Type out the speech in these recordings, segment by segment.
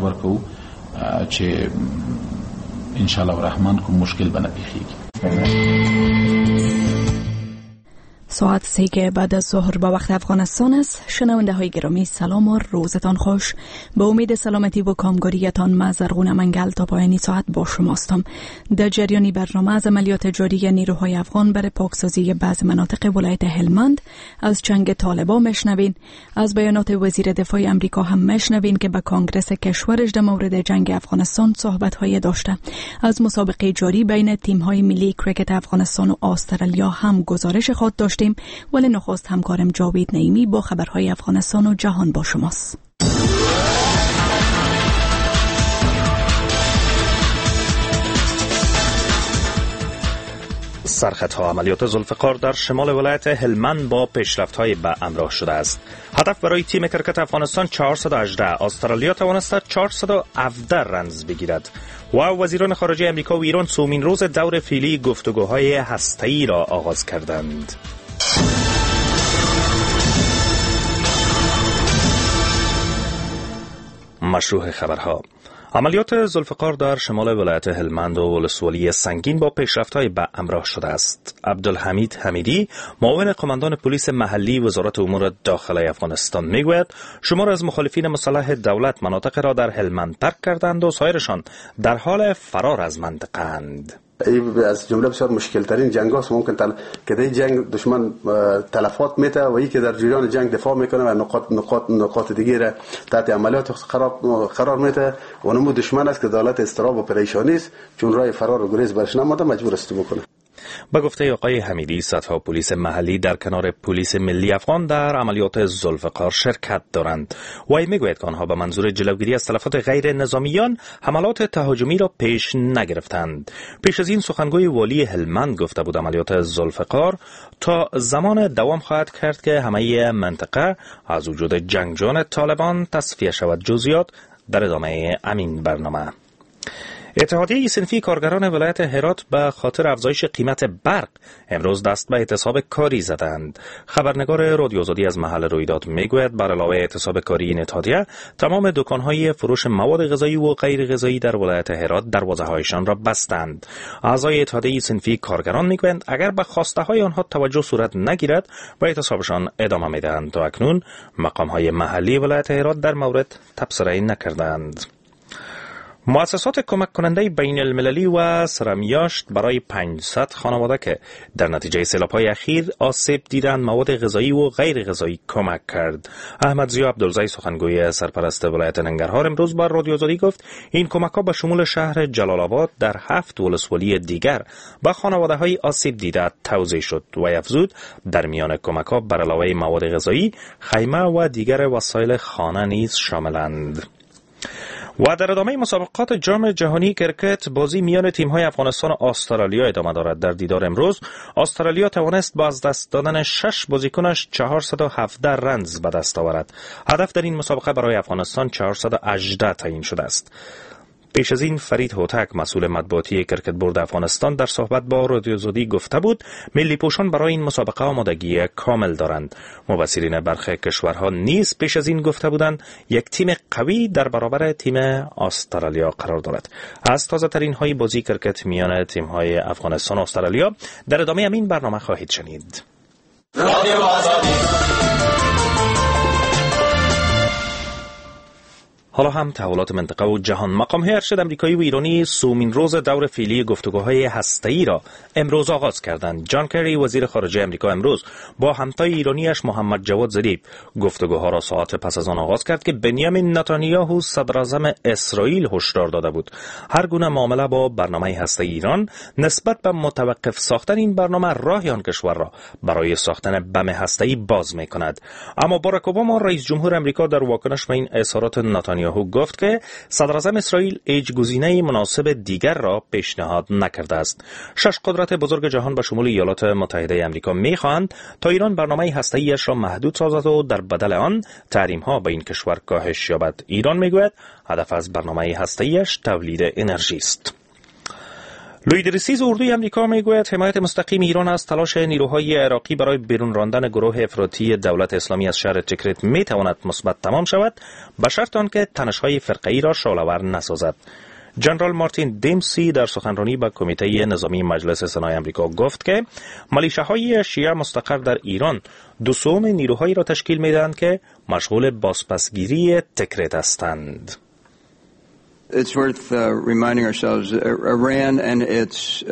ورکوو چې ان شاء الله الرحمن کوم مشکل به نه پیښیږي. ساعت 3 بعد از ظهر با وقت افغانستان است. شنونده های گرامی سلام و روزتان خوش. به امید سلامتی و کامگاریتان من زرغون منگل تا پایانی ساعت با شماستم. در جریان برنامه از عملیات جاری نیروهای افغان برای پاکسازی بعض مناطق ولایت هلمند از چنگ طالبان مشنوین. از بیانات وزیر دفاع امریکا هم مشنوین که به کانگرس کشورش در مورد جنگ افغانستان صحبت های داشته. از مسابقه جاری بین تیم های ملی کرکت افغانستان و استرالیا هم گزارش خود داشتیم. ولی نخست همکارم جاوید نعیمی با خبرهای افغانستان و جهان با شماست. سرخطها عملیات ذوالفقار در شمال ولایت هلمند با پیشرفت‌های به همراه شده است. هدف برای تیم کرکت افغانستان 418، استرالیا توانست 417 رنز بگیرد. و وزیران خارجه امریکا و ایران سومین روز دور فعلی گفتگوهای هسته‌ای را آغاز کردند. مشروح خبرها. عملیات ذوالفقار در شمال ولایت هلمند و ولسوالی سنگین با پیشرفت‌های به همراه شده است. عبدالحمید حمیدی، معاون قماندان پلیس محلی وزارت امور داخله افغانستان میگوید شمار از مخالفین مسلح دولت مناطق را در هلمند ترک کردند و سایرشان در حال فرار از منطقه اند. از جمله بسیار مشکل ترین جنگ هاست ممکن که در جنگ دشمن تلفات میته و یکی در جریان جنگ دفاع میکنه و نقاط نقاط نقاط دیگه را تحت عملیات قرار میته و نمو دشمن است که دولت اضطراب و پریشانی است، چون راه فرار و گریز برش نمانده مجبور است بکنه. به گفته آقای حمیدی صدها پلیس محلی در کنار پلیس ملی افغان در عملیات ذوالفقار شرکت دارند. وی میگوید که آنها به منظور جلوگیری از تلفات غیر نظامیان حملات تهاجمی را پیش نگرفتند. پیش از این سخنگوی والی هلمند گفته بود عملیات ذوالفقار تا زمان دوام خواهد کرد که همه منطقه از وجود جنگجویان طالبان تصفیه شود. جزئیات در ادامه امین برنامه. اتحادیه صنفی کارگران ولایت هرات به خاطر افزایش قیمت برق امروز دست به اعتصاب کاری زدند. خبرنگار رادیو آزادی از محل رویداد میگوید بر علاوه اعتصاب کاری این اتحادیه تمام دکان‌های فروش مواد غذایی و غیر غذایی در ولایت هرات دروازه‌هایشان را بستند. اعضای اتحادیه صنفی کارگران میگویند اگر به خواسته‌های آنها توجه صورت نگیرد به اعتصابشان ادامه میدهند. تا اکنون مقام‌های محلی ولایت هرات در مورد تبصره نکردند. مؤسسات کمک کننده بین المللی و سرمیاشت برای 500 خانواده که در نتیجه سیلاب‌های اخیر آسیب دیدند مواد غذایی و غیر غذایی کمک کرد. احمد ضیا عبدالزی سخنگوی سرپرست ولایت ننگرهار امروز بر رادیو آزادی گفت این کمک‌ها به شمول شهر جلال آباد در 7 ولسوالی دیگر به خانواده‌های آسیب دیده توزیع شد و افزود در میان کمک‌ها بر علاوه مواد غذایی خیمه و دیگر وسایل خانه نیز شاملند. و در ادامه مسابقات جام جهانی کرکت بازی میان تیم‌های افغانستان و استرالیا ادامه دارد. در دیدار امروز استرالیا توانست با از دست دادن 6 بازیکنش 417 رنز به دست آورد. هدف در این مسابقه برای افغانستان 418 تعیین شده است. پیش از این فرید هوتک مسئول مطبوعاتی کرکت بورد افغانستان در صحبت با رادیو آزادی گفته بود ملی پوشان برای این مسابقه آمادگی کامل دارند. مبصرین برخی کشورها نیز پیش از این گفته بودند یک تیم قوی در برابر تیم استرالیا قرار دارد. از تازه ترین های بازی کرکت میان تیم های افغانستان و استرالیا در ادامه همین برنامه خواهید شنید. رادیو آزادی. حالا هم تحولات منطقه و جهان. مقام‌های ارشد امریکایی و ایرانی سومین روز دور فعلی گفتگوهای هسته‌ای را امروز آغاز کردند. جان کری وزیر خارجه امریکا امروز با همتای ایرانیش محمد جواد ظریف گفتگوها را ساعت پس از آن آغاز کرد که بنیامین نتانیاهو صدراعظم اسرائیل هشدار داده بود هر گونه معامله با برنامه هسته‌ای ایران نسبت به متوقف ساختن این برنامه راه آن کشور را برای ساختن بم هسته‌ای باز می‌کند. اما باراک اوباما رئیس جمهور امریکا در واکنش به این اظهارات نتانیاهو گفت که صدراعظم اسرائیل هیچ گزینه مناسب دیگر را پیشنهاد نکرده است. 6 قدرت بزرگ جهان به شمول ایالات متحده آمریکا می‌خواهند تا ایران برنامه هسته‌ایش را محدود سازد و در بدل آن تحریم‌ها به این کشور کاهش یابد. ایران می‌گوید هدف از برنامه هسته‌ایش تولید انرژی است. لوی درستیز اردوی امریکا میگوید حمایت مستقیم ایران از تلاش نیروهای عراقی برای بیرون راندن گروه افراطی دولت اسلامی از شهر تکریت میتواند مثبت تمام شود، به شرط آنکه تنش‌های فرقه‌ای را شعله‌ور نسازد. جنرال مارتین دیمسی در سخنرانی به کمیته نظامی مجلس سنای امریکا گفت که ملیشه‌های شیعه مستقر در ایران 2/3 نیروهایی را تشکیل می‌دهند که مشغول بازپسگیری تکریت هستند. It's worth reminding ourselves Iran and its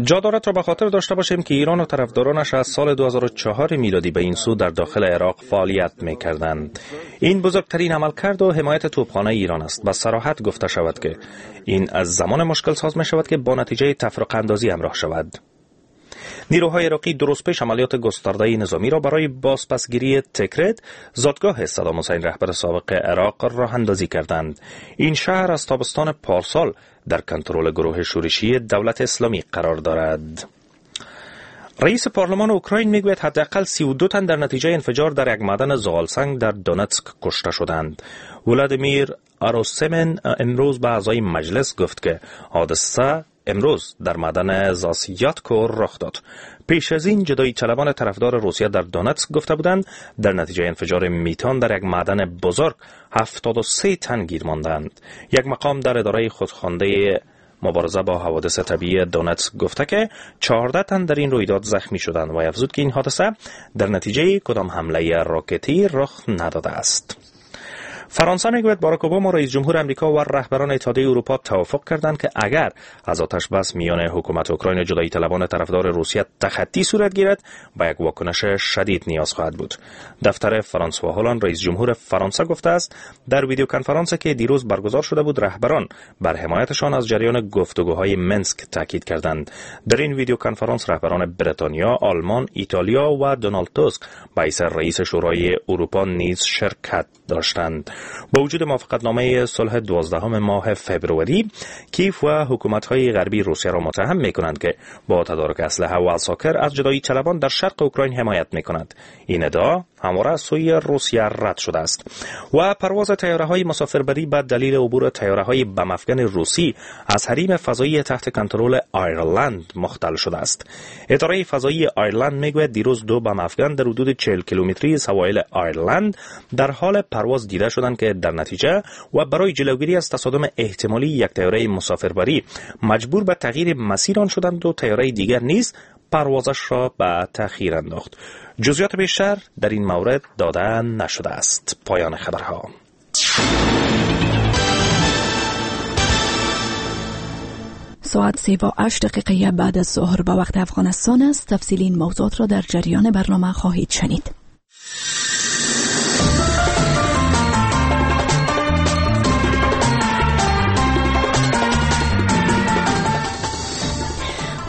جا دارد را به خاطر داشته باشیم که ایران و طرفدارانش از سال 2004 میلادی به این سو در داخل عراق فعالیت می‌کردند. این بزرگترین عملکرد و حمایت توپخانه ایران است. به صراحت گفته شود که این از زمان مشکل ساز می شود که با نتیجه تفرقه اندازی همراه شود. نیروهای عراقی درست پیش عملیات گسترده نظامی را برای بازپسگیری تکریت، زادگاه صدام حسین رهبر سابق عراق، راه اندازی کردند. این شهر از تابستان پارسال در کنترل گروه شورشی دولت اسلامی قرار دارد. رئیس پارلمان اوکراین میگوید حداقل 32 تن در نتیجه انفجار در یک معدن زغالسنگ در دونتسک کشته شدند. ولادیمیر آروسمن امروز به اعضای مجلس گفت که حادثه امروز در معدن زاسیاتکو رخ داد. پیش از این جدایی طلبان طرفدار روسیه در دونتسک گفته بودند در نتیجه انفجار میتان در یک معدن بزرگ 73 تن گیر ماندند. یک مقام در اداره خودخوانده مبارزه با حوادث طبیعی دونتسک گفته که 14 تن در این رویداد زخمی شدند و افزود که این حادثه در نتیجه کدام حمله راکتی رخ نداده است. فرانسه میگوید باراک اوباما رئیس جمهور امریکا و رهبران اتحادیه اروپا توافق کردند که اگر از آتش بس میان حکومت اوکراین و جدایی طلبان طرفدار روسیه تخطی صورت گیرد، به یک واکنش شدید نیاز خواهد بود. دفتر فرانسوا هولاند رئیس جمهور فرانسه گفته است در ویدیو کنفرانس که دیروز برگزار شده بود، رهبران بر حمایتشان از جریان گفتگوهای مینسک تاکید کردند. در این ویدیو کنفرانس رهبران بریتانیا، آلمان، ایتالیا و دونالد توسک به رئیس شورای اروپا نیز شرکت داشتند. با وجود موافقتنامه صلح 12 ماه فبروری، کیف و حکومت‌های غربی روسیه را متهم می‌کنند که با تدارک اسلحه و عساکر از جدایی طلبان در شرق اوکراین حمایت می‌کنند. این ادعا همواره از سوی روسیه رد شده است. و پرواز طیاره‌های مسافربری به دلیل عبور طیاره‌های بم‌افکن روسی از حریم فضایی تحت کنترل آیرلند مختل شده است. اداره فضایی آیرلند میگوید دیروز 2 بم‌افکن در حدود 40 کیلومتری سواحل آیرلند در حال پرواز دیده شدند که در نتیجه و برای جلوگیری از تصادم احتمالی یک طیاره مسافربری مجبور به تغییر مسیر آن شدند و طیاره دیگر نیز پروازش را به تأخیر انداخت. جزئیات بیشتر در این مورد داده نشده است. پایان خبرها. ساعت 3:08 بعد از ظهر به وقت افغانستان است. تفصیل این موضوعات را در جریان برنامه خواهید شنید.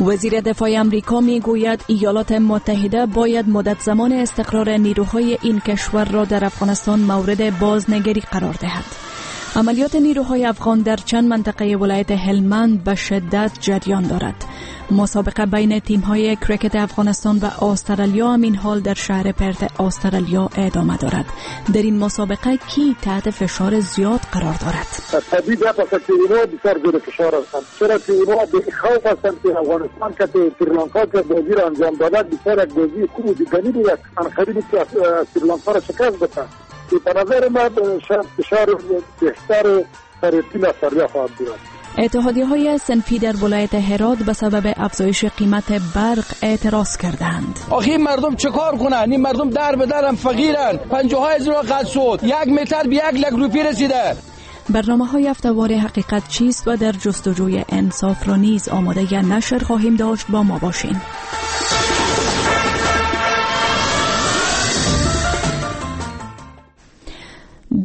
وزیر دفاع امریکا میگوید ایالات متحده باید مدت زمان استقرار نیروهای این کشور را در افغانستان مورد بازنگری قرار دهد. عملیات نیروهای افغان در چند منطقه ولایت هلمند به شدت جریان دارد. مسابقه بین تیم‌های کرکت افغانستان و استرالیا همین حال در شهر پرت استرالیا ادامه دارد. در این مسابقه کی تحت فشار زیاد قرار دارد؟ طبیعی است که اینها بسیار زیر فشار هستند. چرا که اینها به خوف هستند که افغانستان که سریلانکا که بازی را انجام داده بسیار یک بازی خوب و دیدنی بود، انقدر که سریلانکا را شکست دادند. به نظر من فشار بهتر برای تیم استرالیا خواهد بود. اتحادیه‌های صنفی در ولایت هرات به سبب افزایش قیمت برق اعتراض کردند. آخه این مردم چه کار کنن؟ این مردم در به درم فقیرن. 50,000 قد شد. 1 متر به 1 لک روپیه رسیده. برنامه‌های هفته‌وار حقیقت چیست و در جستجوی انصاف را نیز آماده نشر خواهیم داشت. با ما باشین.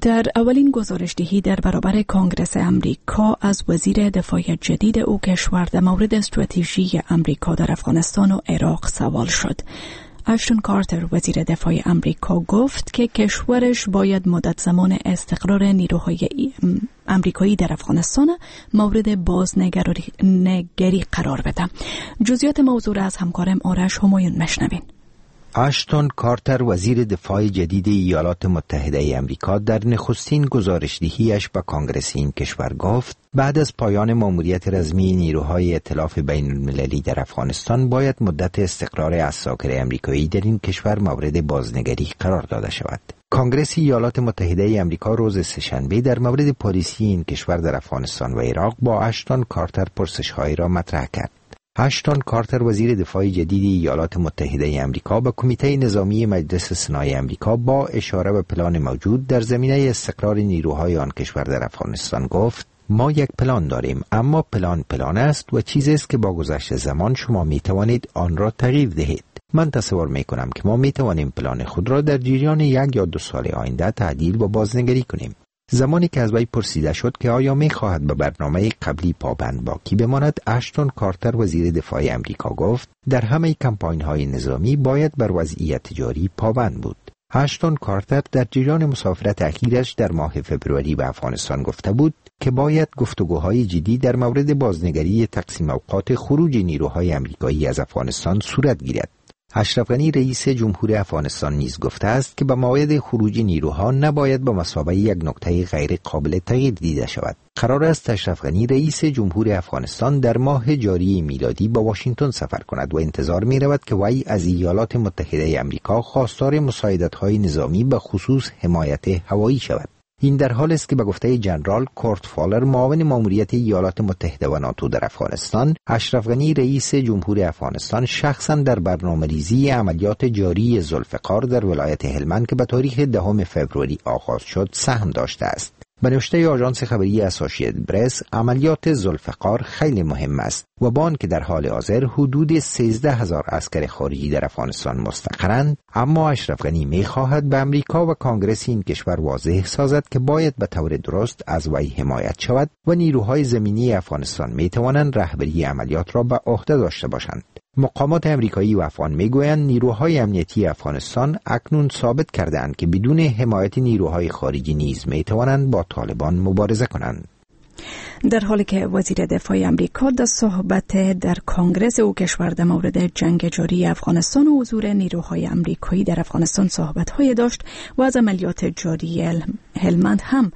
در اولین گزارش دهی در برابر کانگرس امریکا از وزیر دفاع جدید او کشور در مورد استراتژی امریکا در افغانستان و عراق سوال شد. اشتون کارتر وزیر دفاع امریکا گفت که کشورش باید مدت زمان استقرار نیروهای امریکایی در افغانستان مورد بازنگری قرار بده. جزئیات موضوع را از همکارم آرش همایون مشنوین. اشتون کارتر، وزیر دفاع جدید ایالات متحده امریکا، در نخستین گزارشدهیش به کانگرس این کشور گفت بعد از پایان ماموریت رزمی نیروهای ائتلاف بین المللی در افغانستان باید مدت استقرار عساکر امریکایی در این کشور مورد بازنگری قرار داده شود. کانگرس ایالات متحده امریکا روز سه‌شنبه در مورد پالیسی این کشور در افغانستان و عراق با اشتون کارتر پرسش‌هایی را مطرح کرد. اشتون کارتر، وزیر دفاع جدید ایالات متحده امریکا، به کمیته نظامی مجلس سنای امریکا با اشاره به پلان موجود در زمینه استقرار نیروهای آن کشور در افغانستان گفت: ما یک پلان داریم، اما پلان پلان است و چیزی است که با گذشت زمان شما می توانید آن را تغییر دهید. من تصور می کنم که ما می توانیم پلان خود را در جریان 1 یا 2 سال آینده تعدیل و بازنگری کنیم. زمانی که از وی پرسیده شد که آیا می خواهد به برنامه قبلی پابند باقی بماند، اشتون کارتر، وزیر دفاع امریکا، گفت در همه کمپاین های نظامی باید بر وضعیت جاری پابند بود. اشتون کارتر در جریان مسافرت اخیرش در ماه فبروری به افغانستان گفته بود که باید گفتگوهای جدی در مورد بازنگری تقسیم اوقات خروج نیروهای امریکایی از افغانستان صورت گیرد. اشرف غنی، رئیس جمهور افغانستان، نیز گفته است که به موعد خروج نیروها نباید به مثابه یک نکته غیر قابل تغییر دیده شود. قرار است اشرف غنی، رئیس جمهور افغانستان، در ماه جاری میلادی به واشنگتن سفر کند و انتظار می رود که وی از ایالات متحده امریکا خواستار مساعدت‌های نظامی، به خصوص حمایت هوایی شود. این در حال است که به گفته جنرال کورت فالر، معاون ماموریت ایالات متحده و ناتو در افغانستان، اشرف غنی، رئیس جمهور افغانستان، شخصا در برنامه‌ریزی عملیات جاری ذوالفقار در ولایت هلمند که به تاریخ 10 فوریه آغاز شد سهم داشته است. به نوشته آژانس خبری اسوسییتد پرس، عملیات ذوالفقار خیلی مهم است و با آنکه در حال حاضر حدود 13,000 عسکر خارجی در افغانستان مستقرند، اما اشرف غنی می‌خواهد به امریکا و کانگرس این کشور واضح سازد که باید به طور درست از وی حمایت شود و نیروهای زمینی افغانستان می‌توانند رهبری عملیات را به عهده داشته باشند. مقامات امریکایی و افغان میگویند نیروهای امنیتی افغانستان اکنون ثابت کرده‌اند که بدون حمایت نیروهای خارجی نیز میتوانند با طالبان مبارزه کنند. در حالی که وزیر دفاع امریکا در صحبت در کانگرس او کشور در مورد جنگ جاری افغانستان و حضور نیروهای امریکایی در افغانستان صحبت‌های داشت و از عملیات جاری هلمند هم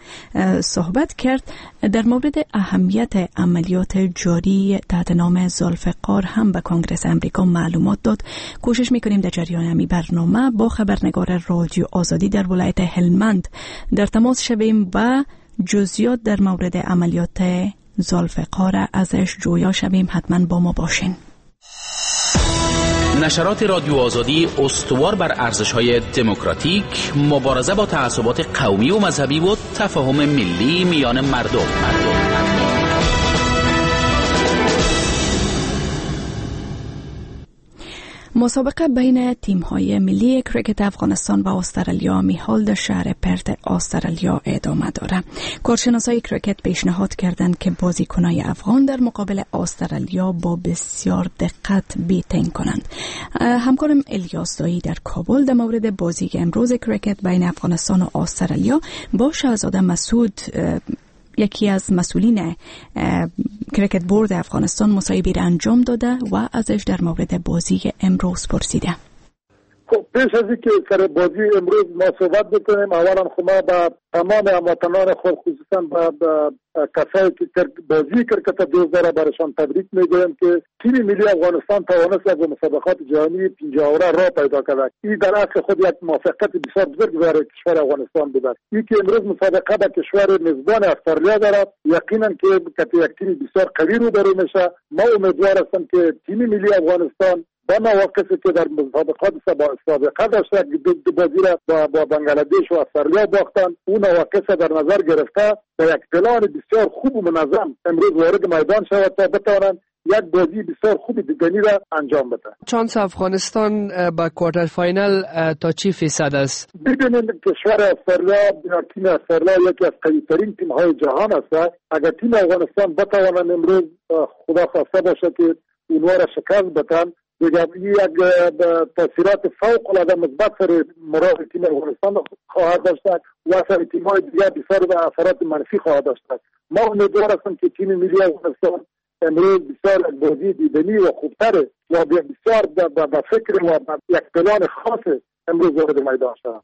صحبت کرد، در مورد اهمیت عملیات جاری تحت نام ذوالفقار هم به کانگرس امریکا معلومات داد. کوشش می‌کنیم در جریان همین برنامه با خبرنگار رادیو آزادی در ولایت هلمند در تماس شویم و جزئیات در مورد عملیات ذوالفقار ازش جویا شویم. حتما با ما باشین. نشرات رادیو آزادی استوار بر ارزش‌های دموکراتیک، مبارزه با تعصبات قومی و مذهبی و تفاهم ملی میان مردم. مسابقه بین تیم‌های ملی کرکت افغانستان و استرالیا میحال در شهر پرت استرالیا ادامه دارد. کارشناسای کرکت پیشنهاد کردند که بازیکنای افغان در مقابل استرالیا با بسیار دقت batting کنند. همکارم الیاس دایی در کابل در مورد بازی امروز کرکت بین افغانستان و استرالیا با شهزاده مسعود، یکی از مسئولین cricket board افغانستان، مصاحبه را انجام داده و ازش در مورد بازی امروز پرسیده. خب پیش از اینکه سر بازی امروز ما صحبت بکنیم، اولا خب ما به تمام هموطنان خود، خصوصا به کسایی که بازی کرکت دوست داره، برشان تبریک میگویم که تیم ملی افغانستان توانست از مسابقات جهانی 50 اوره راه پیدا کرد. این در اصل خود یک موفقیت بسیار بزرگ برای کشور افغانستان بوده. این که امروز مسابقه به کشور میزبان استرالیا دارد، یقینا که یک تیم بسیار قوی روبرو میشه. ما امیدوار هستم که تیم ملی افغانستان با مواقفی که در مسابقات سابقه داشته، دو بازی را با بنگلادش و استرالیا باختن، اون مواقف در نظر گرفته با یک پلان بسیار خوب و منظم امروز وارد میدان شود تا بتوانند یک بازی بسیار خوب دیدنی را انجام بده. چانس افغانستان به quarter final تا چی فیصد است؟ ببینید کشور استرالیا یا تیم استرالیا یکی از قوی ترین تیم های جهان است. اگر تیم افغانستان بتوانند امروز، خدا خواسته باشه که اونها را شکست بدن، دیگر یک تاثیرات فوق العاده مثبت سر مراد تیم افغانستان خواهد داشت و سر تیم‌های دیگر بسیار به اثرات منفی خواهد داشت. ما امیدوار هستیم که تیم ملی افغانستان امروز بسیار بازی دیدنی و خوبتر و بسیار به فکر و یک پلان خاص امروز وارد میدان شد.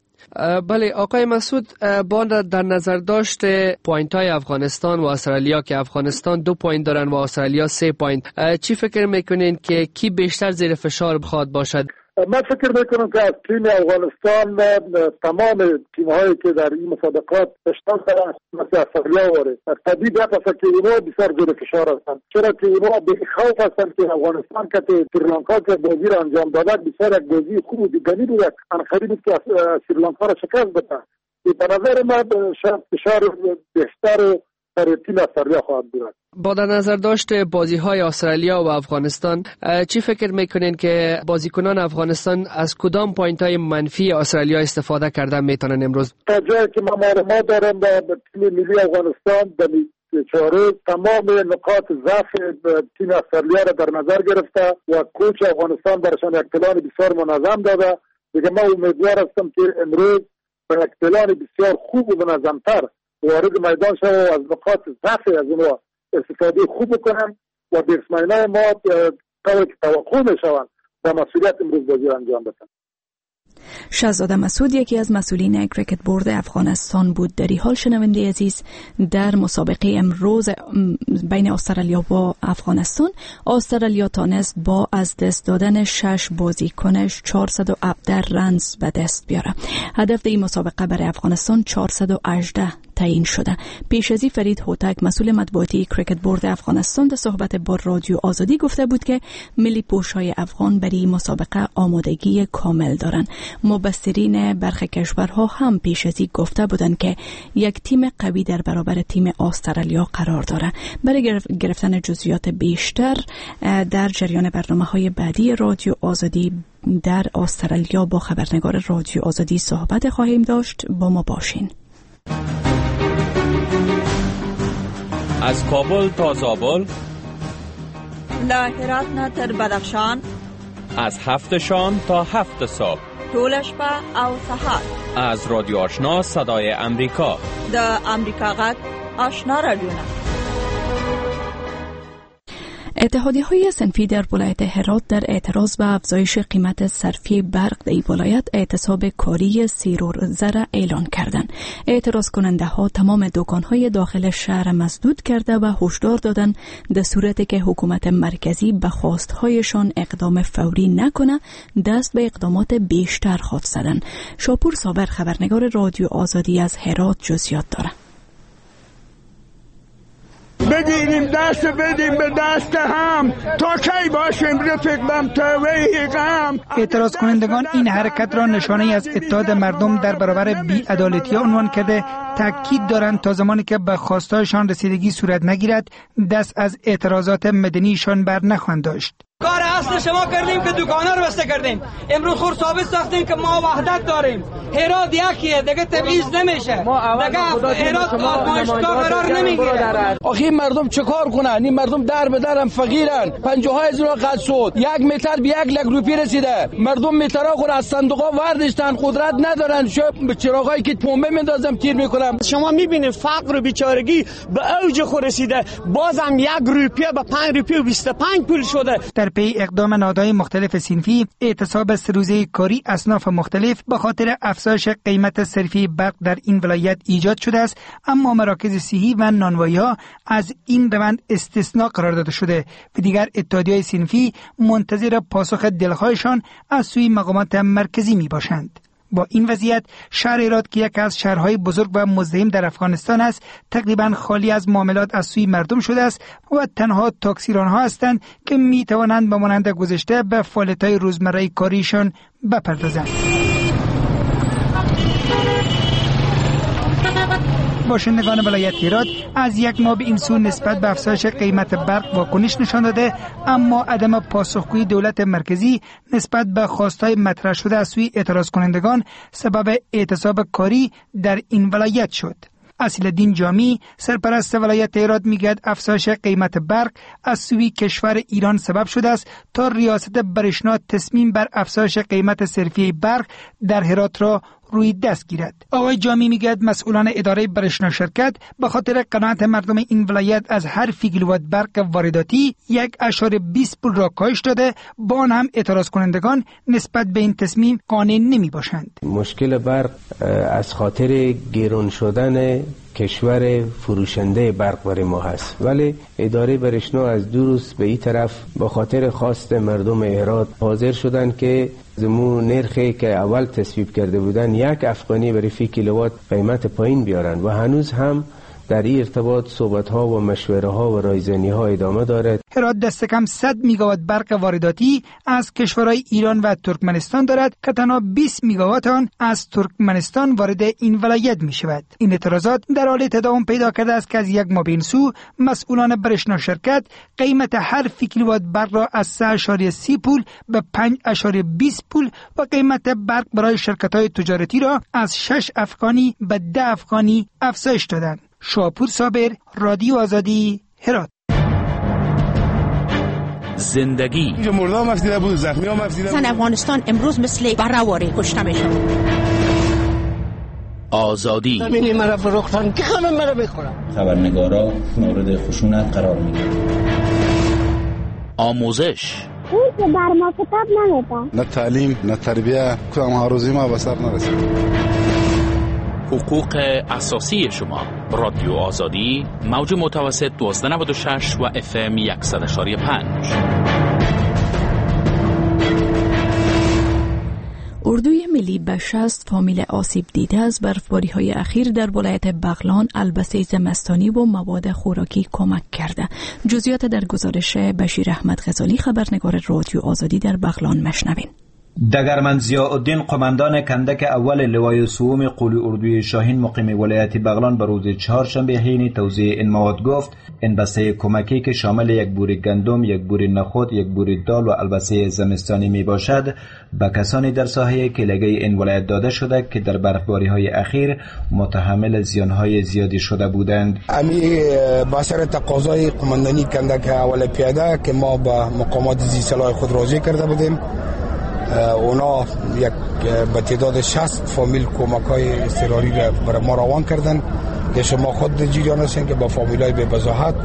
بله آقای مسعود، با در نظر داشت point های افغانستان و استرالیا که افغانستان 2 point دارن و استرالیا 3 point، چی فکر میکنین که کی بیشتر زیر فشار بخواد باشد؟ من فکر میکنم که از تیم افغانستان تمام تیم هایی که در این مسابقات اشتراک دارند مثل استرالیا واره طبیعی است که اونها بسیار زیر فشار هستند، چرا که اونها به خوف هستند که افغانستان که سریلانکا که بازی را انجام داده بسیار یک بازی خوب و دیدنی بود، انقدر بود که سریلانکا را شکست بده. به نظر من فشار بیشتر برای تیم استرالیا خواهد بود. با در نظر داشت بازی های استرالیا و افغانستان، چی فکر میکنین که بازیکنان افغانستان از کدام point های منفی استرالیا استفاده کردن میتونن امروز؟ تا جایی که ما معلومات دارم به تیم ملی افغانستان در چهار تمام نقاط ضعف تیم استرالیا را در نظر گرفته و coach افغانستان برشان یک پلان بسیار منظم داده. دیگه ما امیدوار هستم که امروز به یک پلان بسیار خوب و منظمتر وارد میدان شود و از نقاط ضعف از اونها استفاده خوب بکنن و batsman ای ما طوری که توقع میشوند با مسئولیت امروز بازی انجام بدن. شهزاده مسعود یکی از مسئولین Cricket Board افغانستان بود. در این حال شنونده عزیز، در مسابقه امروز بین استرالیا و افغانستان، استرالیا تانست با از دست دادن 6 بازیکنش 417 runs به دست بیاره. هدف این مسابقه برای افغانستان 418 تعیین شده. پیش از این فرید هوتک مسئول مطبوعاتی Cricket Board افغانستان در صحبت با رادیو آزادی گفته بود که ملی پوش‌های افغان برای مسابقه آمادگی کامل دارند. مبصرین برخی کشورها هم پیش از این گفته بودند که یک تیم قوی در برابر تیم استرالیا قرار داره. برای گرفتن جزئیات بیشتر در جریان برنامه‌های بعدی رادیو آزادی در استرالیا با خبرنگار رادیو آزادی صحبت خواهیم داشت. با ما باشین. از کابل تا زابل، له هرات نه تر بدخشان، از 7 شام تا 7 صبح، ټوله شپه او سهار، از رادیو آشنا صدای امریکا، د امریکا غږ آشنا رادیو. اتحادیه های صنفی در ولایت هرات در اعتراض به افزایش قیمت صرفی برق در این ولایت اعتصاب کاری 3 روزه را اعلان کردند. اعتراض کننده ها تمام دکان های داخل شهر مسدود کرده و هشدار دادند در صورتی که حکومت مرکزی به خواستهایشان اقدام فوری نکنه دست به اقدامات بیشتر خواهد زدن. شاپور صابر خبرنگار رادیو آزادی از هرات جزئیات دارد. بگیریم دست بدیم به دست هم تا کی باشیم رفیق تا وی غم. اعتراض کنندگان این حرکت را نشانه از اتحاد مردم در برابر بی‌عدالتی عنوان کرده تاکید دارند تا زمانی که به خواستهایشان رسیدگی صورت نگیرد دست از اعتراضات مدنیشان بر نخواهند داشت. کار اصل شما کردیم که دکانا رو بسته کردیم، امروز خور ثابت ساختیم که ما وحدت داریم. هرات یکیه دیگه، تبعیض نمیشه دیگه، هرات آزمایشگاه قرار نمیگیره. آخه این مردم چه کار کنن؟ این مردم در به درم فقیرن، 50 هزار قد شد، 1 متر به 1 لک روپیه رسیده. مردم مترا خور از صندوقا وردشتن، قدرت ندارن، چراغایی که پمپ میندازم تیر میکنم. شما میبینید فقر و بیچارگی به اوج خود رسیده، بازم 1 روپیه به 5 روپیه و 25 پول شده. در پی اقدام نهادهای مختلف صنفی، اعتصاب 3 روزه کاری اصناف مختلف به خاطر افزایش قیمت صرفی برق در این ولایت ایجاد شده است، اما مراکز صحی و نانوایی‌ها از این روند استثناء قرار داده شده و دیگر اتحادیه‌های صنفی منتظر پاسخ دلخواهشان از سوی مقامات مرکزی می باشند. با این وضعیت شهر هرات که یکی از شهرهای بزرگ و مزدحم در افغانستان است تقریبا خالی از معاملات از سوی مردم شده است و تنها تاکسیرانها هستند که می توانند به مانند گذشته به فعالیت‌های روزمره کاریشان بپردازند. باشندگان ولایت هرات از یک ماه به این سو نسبت به افزایش قیمت برق واکنش نشان داده، اما عدم پاسخگویی دولت مرکزی نسبت به خواستهای مطرح شده از سوی اعتراض کنندگان سبب اعتصاب کاری در این ولایت شد. اصیل‌الدین جامی سرپرست ولایت هرات میگوید افزایش قیمت برق از سوی کشور ایران سبب شده است تا ریاست برشنا تصمیم بر افزایش قیمت صرفیه برق در هرات را روی دست گیرد. آقای جامی میگوید مسئولان اداره برشنا شرکت به خاطر قناعت مردم این ولایت از هر فی کیلووات برق وارداتی 1.20 پول را کاهش داده، با آن هم اعتراض کنندگان نسبت به این تصمیم قانع نمی باشند. مشکل برق از خاطر گران شدن کشور فروشنده برق برای ما هست، ولی اداره برشنا از 2 روز به این طرف با خاطر خواست مردم هرات حاضر شدن که زمو نرخی که اول تصویب کرده بودن 1 افغانی برای فی کیلووات قیمت پایین بیارن و هنوز هم در این ارتباط صحبت‌ها و مشوره‌ها و رایزنی‌ها ادامه دارد. هرات دست کم 100 میگاوات برق وارداتی از کشورهای ایران و ترکمنستان دارد که تنها 20 میگاوات آن از ترکمنستان وارد این ولایت می شود. این اعتراضات در حال تداوم پیدا کرده است که از یک ماه به این سو مسئولان برشنا شرکت قیمت هر فی کیلووات برق را از 3.30 پول به 5.20 پول و قیمت برق برای شرکت‌های تجارتی را از 6 افغانی به 10 افغانی افزایش دادند. شاپور صابر، رادیو آزادی، هرات. زندگی اینجا مردم افزیده بود، زخمی هم افزیده بود. زن افغانستان امروز مثل برواری کشته میشه. آزادی زمینی مرا فروختن که خانم مرا بخورم. خبرنگارا مورد خشونت قرار میگیرند. آموزش او که بر ما کتاب نمیده، نه تعلیم نه تربیه، کدام آرزوی ما به سر نرسید. حقوق اساسی شما. رادیو آزادی، موج متوسط 1296 و FM 100.5. اردوی ملی به 60 فامیل آسیب دیده از برفباری های اخیر در ولایت بغلان البسه زمستانی و مواد خوراکی کمک کرده. جزئیات در گزارش بشیر احمد غزالی، خبرنگار رادیو آزادی در بغلان مشنوین. دگرمن ضیاءالدین قماندان کندک اول لوای سوم قول اردوی شاهین مقیم ولایت بغلان به روز چهارشنبه حین توزیع این مواد گفت این بسته کمکی که شامل یک بوری گندم، یک بوری نخود، یک بوری دال و البسه زمستانی می باشد به کسانی در ساحه کلگه این ولایت داده شده که در برفباری های اخیر متحمل زیان های زیادی شده بودند. امی با سر تقاضای قماندانی کندک اول پیاده که ما به مقامات ذی‌صلاح خود راجع کرده بودیم، اونا یک به تعداد 60 فامیل کمک های اضطراری را برای ما روان کردن که شما خود جریان هستین که با فامیل های به بضاعت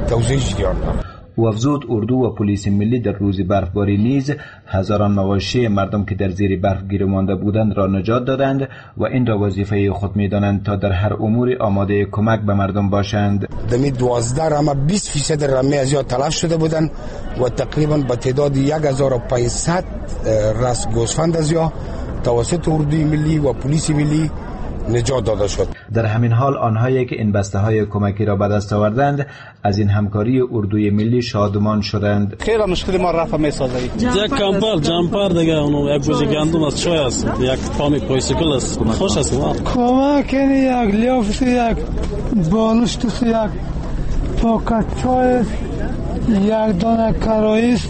توزیع جریان دارد. او افزود اردو و پلیس ملی در روز برفباری نیز هزاران مواشی مردم که در زیر برف گیر مانده بودند را نجات دادند و این را وظیفه خود می‌دانند تا در هر امور آماده کمک به مردم باشند. دمی 12 رمه 20% رمه از یا تلف شده بودند و تقریبا به تعداد 1500 راس گوسفند از یا توسط اردوی ملی و پلیس ملی نجات داده شد. در همین حال آنهایی که این بسته های کمکی را به دست آوردند از این همکاری اردوی ملی شادمان شدند. خیلی مشکل ما رفع می‌سازه. یک کمپر جمپر دیگه اونو یک بوجه گندم است، چای است، یک پامی پایسیکل است. خوش است. کمک یک لیاف، یک بالشت، یک پاکت چای، یک دانه کرایس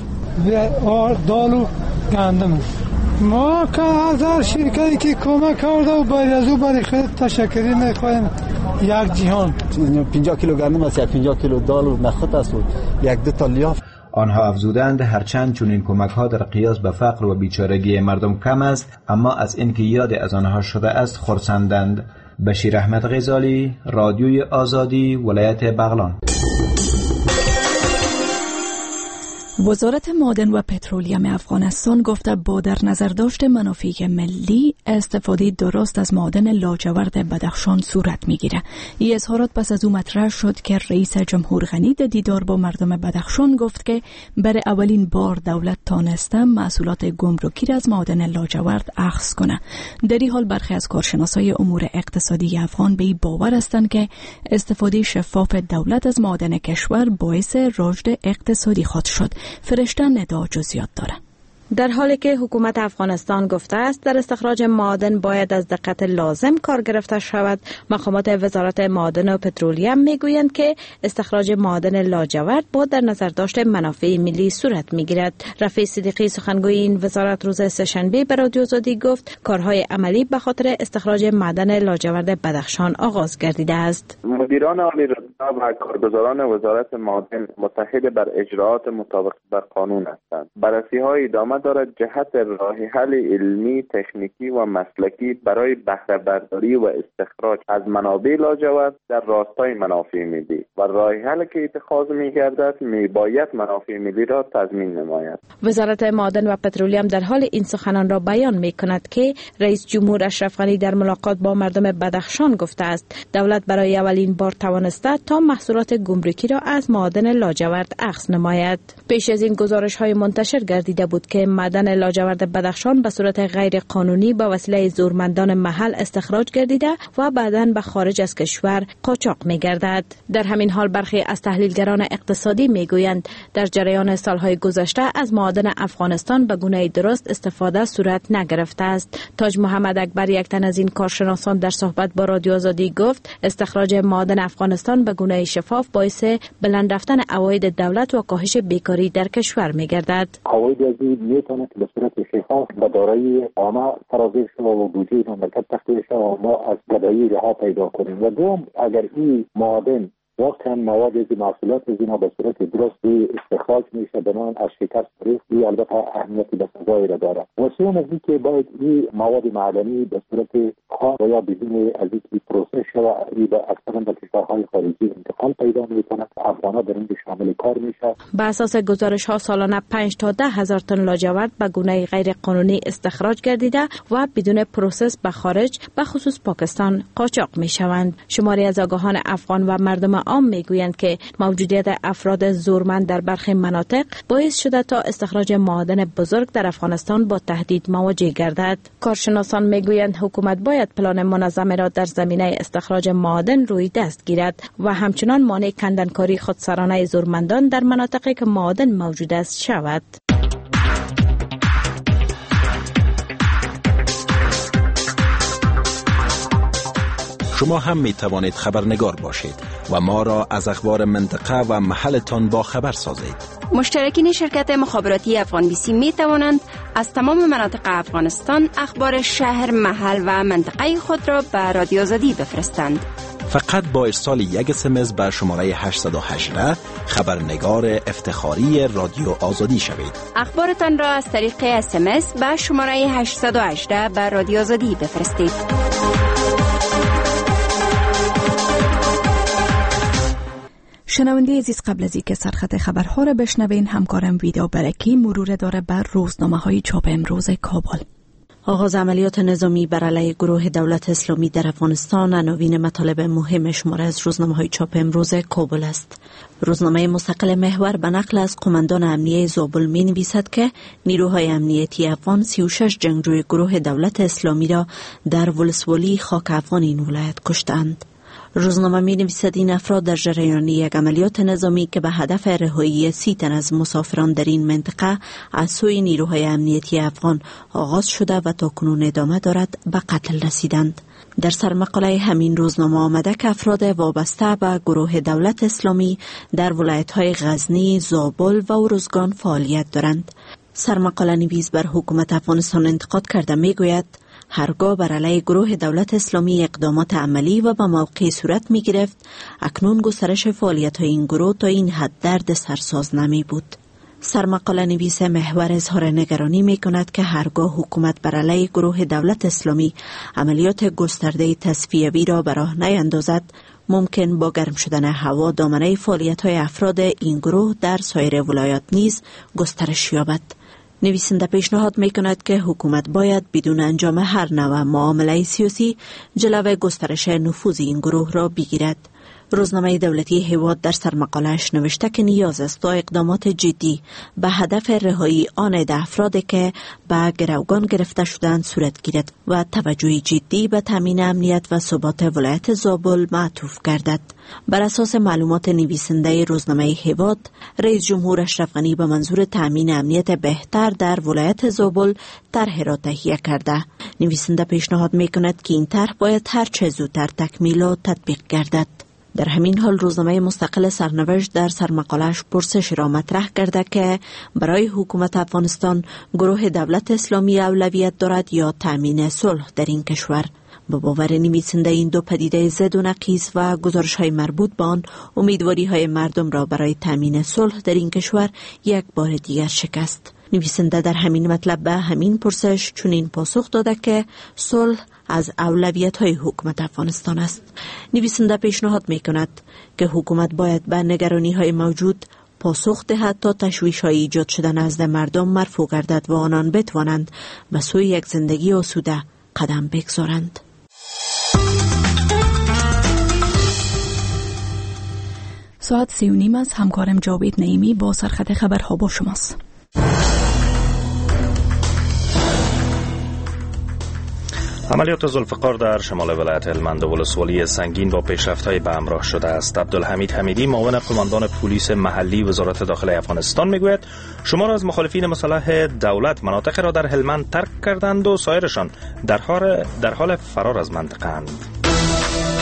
و دال و گندم است. ما که از هر شرکتی که کمک کرده و باید از او برای خود تشکری میخواهیم. یک جهان 50 کیلو گندم است، 50 کیلو دال و نخود است و یک دو تا لیاف. آنها افزودند هرچند چنین کمک ها در قیاس به فقر و بیچارگی مردم کم است، اما از اینکه یاد از آنها شده است خرسندند. بشیر احمد غزالی، رادیوی آزادی، ولایت بغلان. وزارت معادن و پترولیم افغانستان گفته با در نظر داشت منافع ملی استفاده درست از معادن لاجورد بدخشان صورت میگیره. این اظهارات پس از او مطرح شد که رئیس جمهور غنی در دیدار با مردم بدخشان گفت که برای اولین بار دولت تانسته محصولات گمرکی را از معادن لاجورد اخذ کنه. در این حال برخی از کارشناسای امور اقتصادی افغان به این باور هستند که استفاده شفاف دولت از معادن کشور باعث رشد اقتصادی خواهد شد. فرشته ندا جزئیات داره. در حالی که حکومت افغانستان گفته است در استخراج معادن باید از دقت لازم کار گرفته شود، مقامات وزارت معادن و پترولیم میگویند که استخراج معادن لاجورد با در نظر داشت منافع ملی صورت میگیرد. رفیع صدیقی سخنگوی این وزارت روز سه‌شنبه به رادیو آزادی گفت کارهای عملی به خاطر استخراج معدن لاجورد بدخشان آغاز گردیده است. مدیران عالی رتبه و کارگزاران وزارت معادن متحد بر اجراعات مطابق بر قانون هستند. بررسی‌های ادامه ادامه دارد جهت راه حل علمی، تکنیکی و مسلکی برای بهره برداری و استخراج از منابع لاجورد در راستای منافع ملی و راه حل که اتخاذ می‌گردد میباید منافع ملی را تضمین نماید. وزارت معادن و پترولیم در حال این سخنان را بیان می‌کند که رئیس جمهور اشرف غنی در ملاقات با مردم بدخشان گفته است دولت برای اولین بار توانسته تا محصولات گمرکی را از معادن لاجورد اخذ نماید. پیش از این گزارش‌های منتشر گردیده بود که معدن لاجورد بدخشان به صورت غیر قانونی با وسیله زورمندان محل استخراج گردیده و بعداً به خارج از کشور قاچاق می‌گردد. در همین حال برخی از تحلیلگران اقتصادی می‌گویند در جریان سالهای گذشته از معادن افغانستان به گونه درست استفاده صورت نگرفته است. تاج محمد اکبر، یک تن از این کارشناسان، در صحبت با رادیو آزادی گفت استخراج معادن افغانستان به گونه شفاف باعث بلند رفتن عواید دولت و کاهش بیکاری در کشور می‌گردد. عواید از این میتونه که به صورت شفاف به دارایی عامه سرازیر شود و بودجه مملکت تخلیه شود و ما از گدایی رها پیدا کنیم. و دوم، اگر این معادن واقعا مواد از محصولات از اینا به صورت درست استخراج میشه بنان از شکست تاریخ، این البته اهمیتی به سزایی را داره. و سوم از اینکه باید این مواد معدنی به صورت خام و یا بدون از اینکه process شود اکثرا به کشورهای خارجی انتقال پیدا میکنه، افغان‌ها در اینجا شامل کار میشه. به اساس گزارش ها سالانه 5 تا 10 هزار تن لاجورد به گونه غیر قانونی استخراج گردیده و بدون process به خارج، به خصوص پاکستان، قاچاق میشوند. شماری از آگاهان افغان و مردم عام میگویند که موجودیت افراد زورمند در برخی مناطق باعث شده تا استخراج معادن بزرگ در افغانستان با تهدید مواجه گردد. کارشناسان میگویند حکومت باید پلان منظم را در زمینه استخراج معادن روی دست گیرد و همچنان مانع کندنکاری خودسرانه زورمندان در مناطقی که معادن موجود است شود. شما هم می توانید خبرنگار باشید و ما را از اخبار منطقه و محلتان با خبر سازید. مشترکین شرکت مخابراتی افغان بیسی می توانند از تمام مناطق افغانستان اخبار شهر، محل و منطقه خود را به رادیو آزادی بفرستند. فقط با ارسال یک SMS به شماره 818 خبرنگار افتخاری رادیو آزادی شوید. اخبارتان را از طریق SMS به شماره 818 به رادیو آزادی بفرستید. شنونده عزیز، قبل از اینکه سرخط خبرها را بشنوین، همکارم ویدا برکی مرور داره بر روزنامه‌های چاپ امروز کابل. آغاز عملیات نظامی بر علیه گروه دولت اسلامی در افغانستان عناوین مطالب مهم شماره از روزنامه‌های چاپ امروز کابل است. روزنامه مستقل محور به نقل از قماندان امنیه زابل می‌نویسد که نیروهای امنیتی افغان 36 جنگجوی گروه دولت اسلامی را در ولسوالی خاک افغان این ولایت کشتند. روزنامه می نویسد این افراد در جریان یک عملیات نظامی که به هدف رهایی 30 تن از مسافران در این منطقه از سوی نیروهای امنیتی افغان آغاز شده و تا کنون ادامه دارد به قتل رسیدند. در سرمقاله همین روزنامه آمده که افراد وابسته به گروه دولت اسلامی در ولایت‌های غزنی، زابل و ارزگان فعالیت دارند. سرمقاله نویس بر حکومت افغانستان انتقاد کرده می گوید هرگاه بر علیه گروه دولت اسلامی اقدامات عملی و به موقع صورت می گرفت، اکنون گسترش فعالیت های این گروه تا این حد درد سرساز نمی بود. سرمقاله نویس محور اظهار نگرانی می کند که هرگاه حکومت بر علیه گروه دولت اسلامی عملیات گسترده تصفیوی را به راه نیندازد، ممکن با گرم شدن هوا دامنه فعالیت های افراد این گروه در سایر ولایات نیز گسترش یابد. نویسنده پیشنهاد می کند که حکومت باید بدون انجام هر نوع معامله سیاسی جلو گسترش نفوذ این گروه را بگیرد. روزنامه دولتی هیواد در سرمقاله‌اش نوشته که نیاز است تا اقدامات جدی به هدف رهایی آن عده افراد که به گروگان گرفته شدند صورت گیرد و توجه جدی به تامین امنیت و ثبات ولایت زابل معطوف گردد. بر اساس معلومات نویسنده روزنامه هیواد، رئیس جمهور اشرف غنی به منظور تامین امنیت بهتر در ولایت زابل طرح را تهیه کرده. نویسنده پیشنهاد می‌کند که این طرح باید هرچه زودتر تکمیل و تطبیق گردد. در همین حال روزنامه مستقل سرنوشت در سرمقاله‌اش پرسش را مطرح کرده که برای حکومت افغانستان گروه دولت اسلامی اولویت دارد یا تامین صلح در این کشور. به باور نویسنده این دو پدیده ضد و نقیض و گزارش‌های مربوط به آن امیدواری‌های مردم را برای تامین صلح در این کشور یک بار دیگر شکست. نویسنده در همین مطلب به همین پرسش چنین پاسخ داده که صلح از اولویت‌های حکومت افغانستان است. نویسنده پیشنهاد می‌کند که حکومت باید به نگرانی‌های موجود پاسخ دهد تا تشویش‌های ایجاد شده نزد مردم مرفوع گردد و آنان بتوانند به سوی یک زندگی آسوده قدم بگذارند. ساعت 3:30 است. همکارم جاوید نعیمی با سرخط خبرها با شماست. عملیات ذوالفقار در شمال ولایت هلمند و ولسوالی سنگین با پیشرفت‌های به همراه شده است. عبدالحمید حمیدی، معاون قماندان پلیس محلی وزارت داخله افغانستان، میگوید شمار از مخالفین مسلح دولت مناطق را در هلمند ترک کردند و سایرشان در حال فرار از منطقه اند.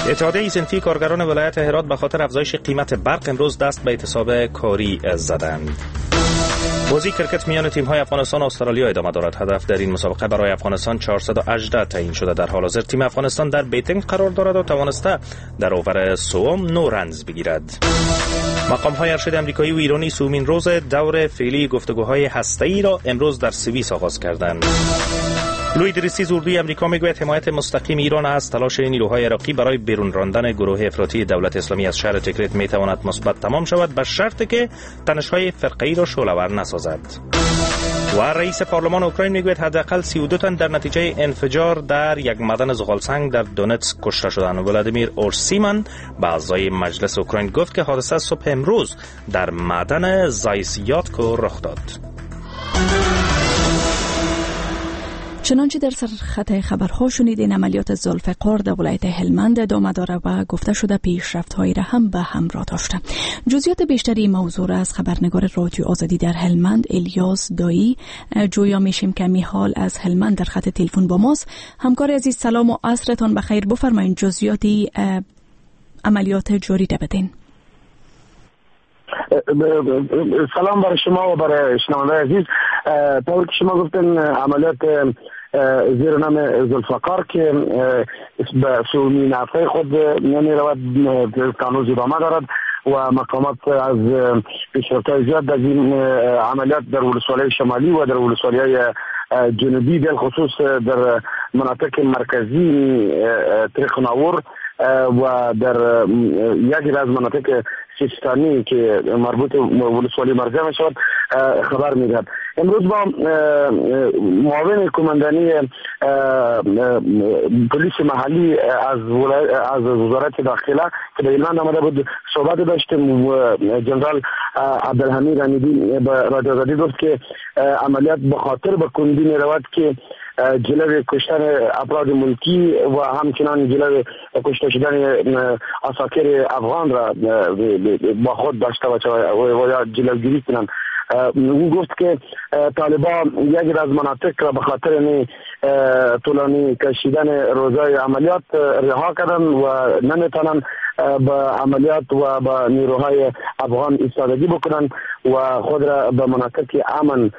اتحادیه صنفی کارگران ولایت هرات به خاطر افزایش قیمت برق امروز دست به اعتصاب کاری زدند. بازی کرکت میان تیم‌های افغانستان و استرالیا ادامه دارد. هدف در این مسابقه برای افغانستان 418 تعیین شده. در حال حاضر تیم افغانستان در batting قرار دارد و توانسته در over سوم 9 runs بگیرد. مقام‌های ارشد آمریکایی و ایرانی سومین روز دور فعلی گفتگوهای هسته‌ای را امروز در سوئیس آغاز کردند. لوی درستیز اردوی امریکا میگوید حمایت مستقیم ایران از تلاش نیروهای عراقی برای بیرون راندن گروه افراطی دولت اسلامی از شهر تکریت میتواند مثبت تمام شود، به شرط که تنش‌های فرقه‌ای را شعله‌ور نسازد. و رئیس پارلمان اوکراین میگوید حداقل 32 تن در نتیجه انفجار در یک معدن زغالسنگ در دونتسک کشته شدند. ولادیمیر اورسیمن به اعضای مجلس اوکراین گفت که حادثه صبح امروز در معدن زایسیاتکو رخ داد. چنانچه در سرخط خبرها شنیدین، عملیات ذوالفقار در ولایت هلمند ادامه داره و گفته شده پیشرفت‌هایی را هم به همراه داشته. جزئیات بیشتری موضوع را از خبرنگار رادیو آزادی در هلمند الیاس دایی جویا میشیم که میحال از هلمند در خط تلفن با ماست. همکار عزیز سلام و عصرتان بخیر، بفرمایید جزئیات عملیات جاری را بدین. سلام برای شما و برای شنوندگان عزیز. طور که شما گفتن عملیات زیر نام ذوالفقار که به سومین هفته خود می رود هنوز ادامه دارد و مقامات از پیشرفت‌های زیاد در این عملیات در ولسوالی شمالی و در ولسوالی‌های جنوبی بالخصوص در مناطق مرکزی طریق ناور و در یکی از مناطق سیستانی که مربوط ولسوالی مرزی می شود خبر میدهد. امروز با معاون کماندانی پلیس محلی از وزارت داخله که به ایرلند آمده بود صحبت داشتیم و جنرال عبدالحمید حمیدی به رادیو آزادی گفت که عملیات به خاطر به کندی می رود که جلوی کشتن افراد ملکی و همچنان جلوی کشته شدن عساکر افغان را با خود داشته باشد و یا جلوگیری کنند. او گفت که طالبان یکی از مناطق را به خاطر طولانی کشیدن روزای عملیات رها کردن و نمیتونن به عملیات و به نیروهای افغان ایستادگی بکنن و خود را به مناطق امن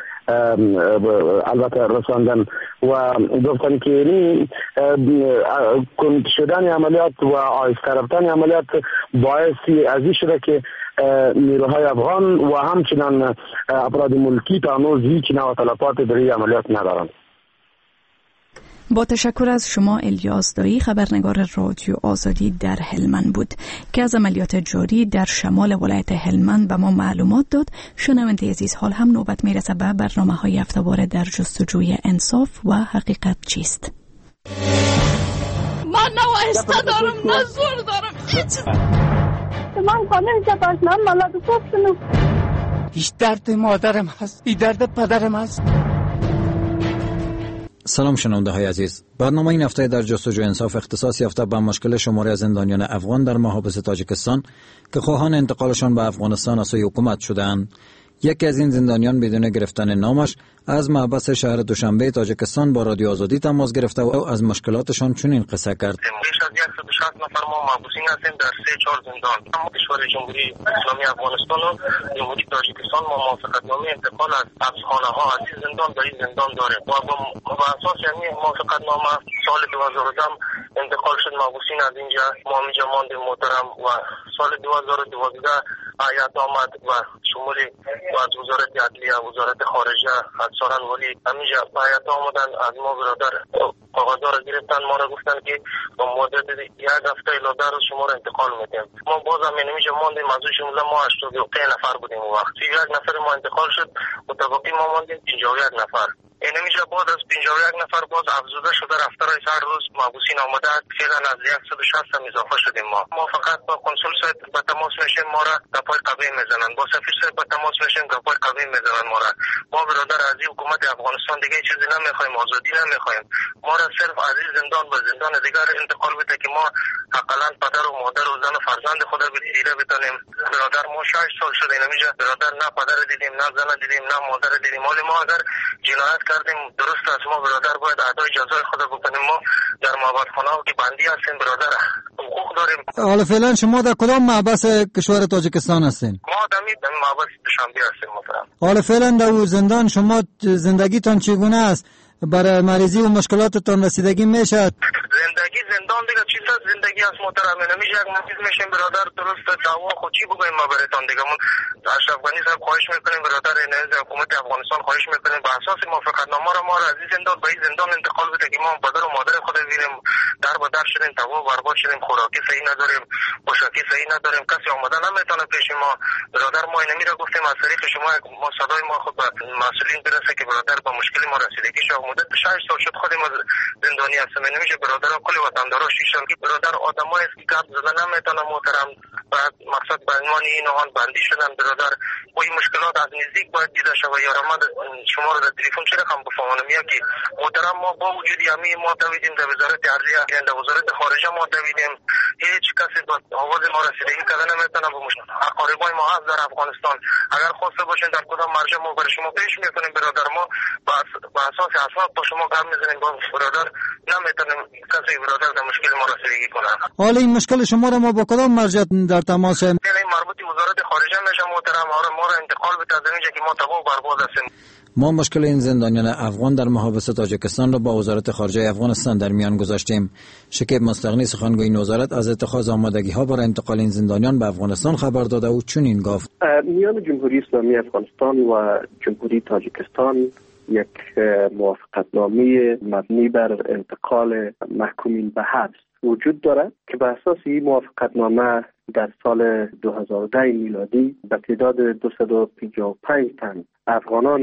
البته رساندن و گفتن که یعنی کند شدن عملیات و آهسته رفتن عملیات باعث از شده که نیروهای افغان و همچنان افراد ملکی تا هنوز هیچ نوع تلفات در این عملیات ندارند. با تشکر از شما الیاس دایی، خبرنگار رادیو آزادی در هلمند بود که از عملیات جاری در شمال ولایت هلمند به ما معلومات داد. شنونده عزیز، حال هم نوبت میرسه به برنامه‌های هفته‌وار در جستجوی انصاف و حقیقت چیست. من نه واسطه دارم نه زور دارم، هیچ. من خانم چپاشنم مالا دو. هیچ درد مادرم هست، هیچ درد پدرم هست. سلام شنونده های عزیز، برنامه این هفته در جستجوی انصاف اختصاص یافته به مشکل شماری از زندانیان افغان در محابس تاجیکستان که خواهان انتقالشان به افغانستان از سوی حکومت شده‌اند. یکی از این زندانیان بدون گرفتن نامش از محبس شهر دوشنبه تاجیکستان با رادیو آزادی تماس گرفته و از مشکلاتشان چنین قصه کرد. پیش از 160 نفر ما محبوسین هستیم در 3-4 زندان. اما کشور جمهوری اسلامی افغانستان و جمهوری تاجیکستان ما موافقتنامه انتقال از حبسخانه ها از این زندان به این زندان داریم و با اساس همین موافقتنامه سال 2010 انتقال شد محبوسین از اینجا، ما اینجا ماندیم محترم و سال 2012 هیئت آمد و شمول از وزارت عدلیه، وزارت خارجه، از سارنوالی همینجا هیئت آمدن از ما برادر کاغذها را گرفتن، ما را گفتن که با مدت یک هفته الی 10 روز شما را انتقال میدیم. ما باز هم اینجا ماندیم، از شمول ما 83 نفر بودیم اون وقت، 31 نفر ما انتقال شد و باقی ما ماندیم 51 نفر. اینمیجا باز از 51 نفر باز افزوده شده رفته رای هر روز محبوسین آمده است، فعلا از 160 هم اضافه شدیم. ما فقط با کنسول صاحب به تماس میشیم، ما را گپای قوی میزنن، با سفیر صاحب به تماس میشیم، گپای قوی میزنن ما را. ما برادر از حکومت افغانستان دیگه چیزی نمیخوایم، آزادی نمیخوایم، ما را صرف از زندان به زندان دیگر انتقال بده که ما حداقل پدر و مادر و زن و فرزند خود را دیده بتانیم. برادر ما 6 سال شده اینمیجا برادر، نه پدر دیدیم، نه زن دیدیم، نه مادر دیدیم. حالا ما اگر جنایت کردیم درست است، ما برادر باید ادای جزای خود بکنیم. ما در معبدخانه که بندی هستیم برادر حقوق داریم. حالا فعلا شما در کدام محبس کشور تاجیکستان هستین؟ ما در محبس دوشنبه هستیم محترم. حالا فعلا در زندان شما زندگیتان چگونه است؟ برای مریضی و مشکلاتتان رسیدگی میشه؟ زندگی زندان دیگه چیز است، زندگی از محترم نمیشه. یک مریض میشیم برادر، درست دوا خود چی بگویم ما براتان دیگه. من اشرف غنی صاحب خواهش میکنیم برادر، نزد حکومت افغانستان خواهش میکنیم به اساس موافقتنامه را ما را از این زندان به این زندان انتقال بده که ما پدر و مادر خود ببینیم. در به در شدیم، تباه برباد شدیم، خوراکی صحیح نداریم، پوشاکی صحیح نداریم، کسی آمده نمیتونه پیش ما برادر. ما اینمی را گفتیم از طریق شما ما صدای ما خود به مسئولین برسه که برادر با مشکل ما رسیدگی شه. مدت 6 سال شد خودم زندانی هستم، نمیشه برادر. کل وطندارا شیشان که برادر آدمای است که گپ زدن نمیتونه محترم. بعد مقصد به عنوان این آن بندی شدن برادر و این مشکلات از نزدیک باید دیده شود. یا ما شما رو در تلفن چه رقم بفهمانم یا که محترم ما با وجود همین ما دویدیم در وزارت عدلیه، در وزارت خارجه ما دویدیم، هیچ کسی با آواز ما رسیدگی کرده نمیتونه. به مشکل اقاربای ما هست در افغانستان، اگر خواسته باشین در کدام مرجع ما برای شما پیش میکنیم برادر. ما با اساس اسناد با شما گپ میزنیم، با برادر نمیتونیم کسی برادر در مشکل ما رسیدگی کنه. حالا این مشکل شما را ما با کدام مرجع در تماس؟ این مربوط وزارت خارجه میشه محترم، ما را انتقال بده از اینجا که ما تباه برباد هستیم. ما مشکل این زندانیان افغان در محابس تاجیکستان را با وزارت خارجه افغانستان در میان گذاشتیم. شکیب مستغنی سخنگوی این وزارت از اتخاذ آمادگی ها برای انتقال این زندانیان به افغانستان خبر داده و چنین گفت: میان جمهوری اسلامی افغانستان و جمهوری تاجیکستان یک موافقتنامه مبنی بر انتقال محکومین به حبس وجود دارد که به اساس این موافقتنامه در سال 2010 میلادی به تعداد 255 تن افغانان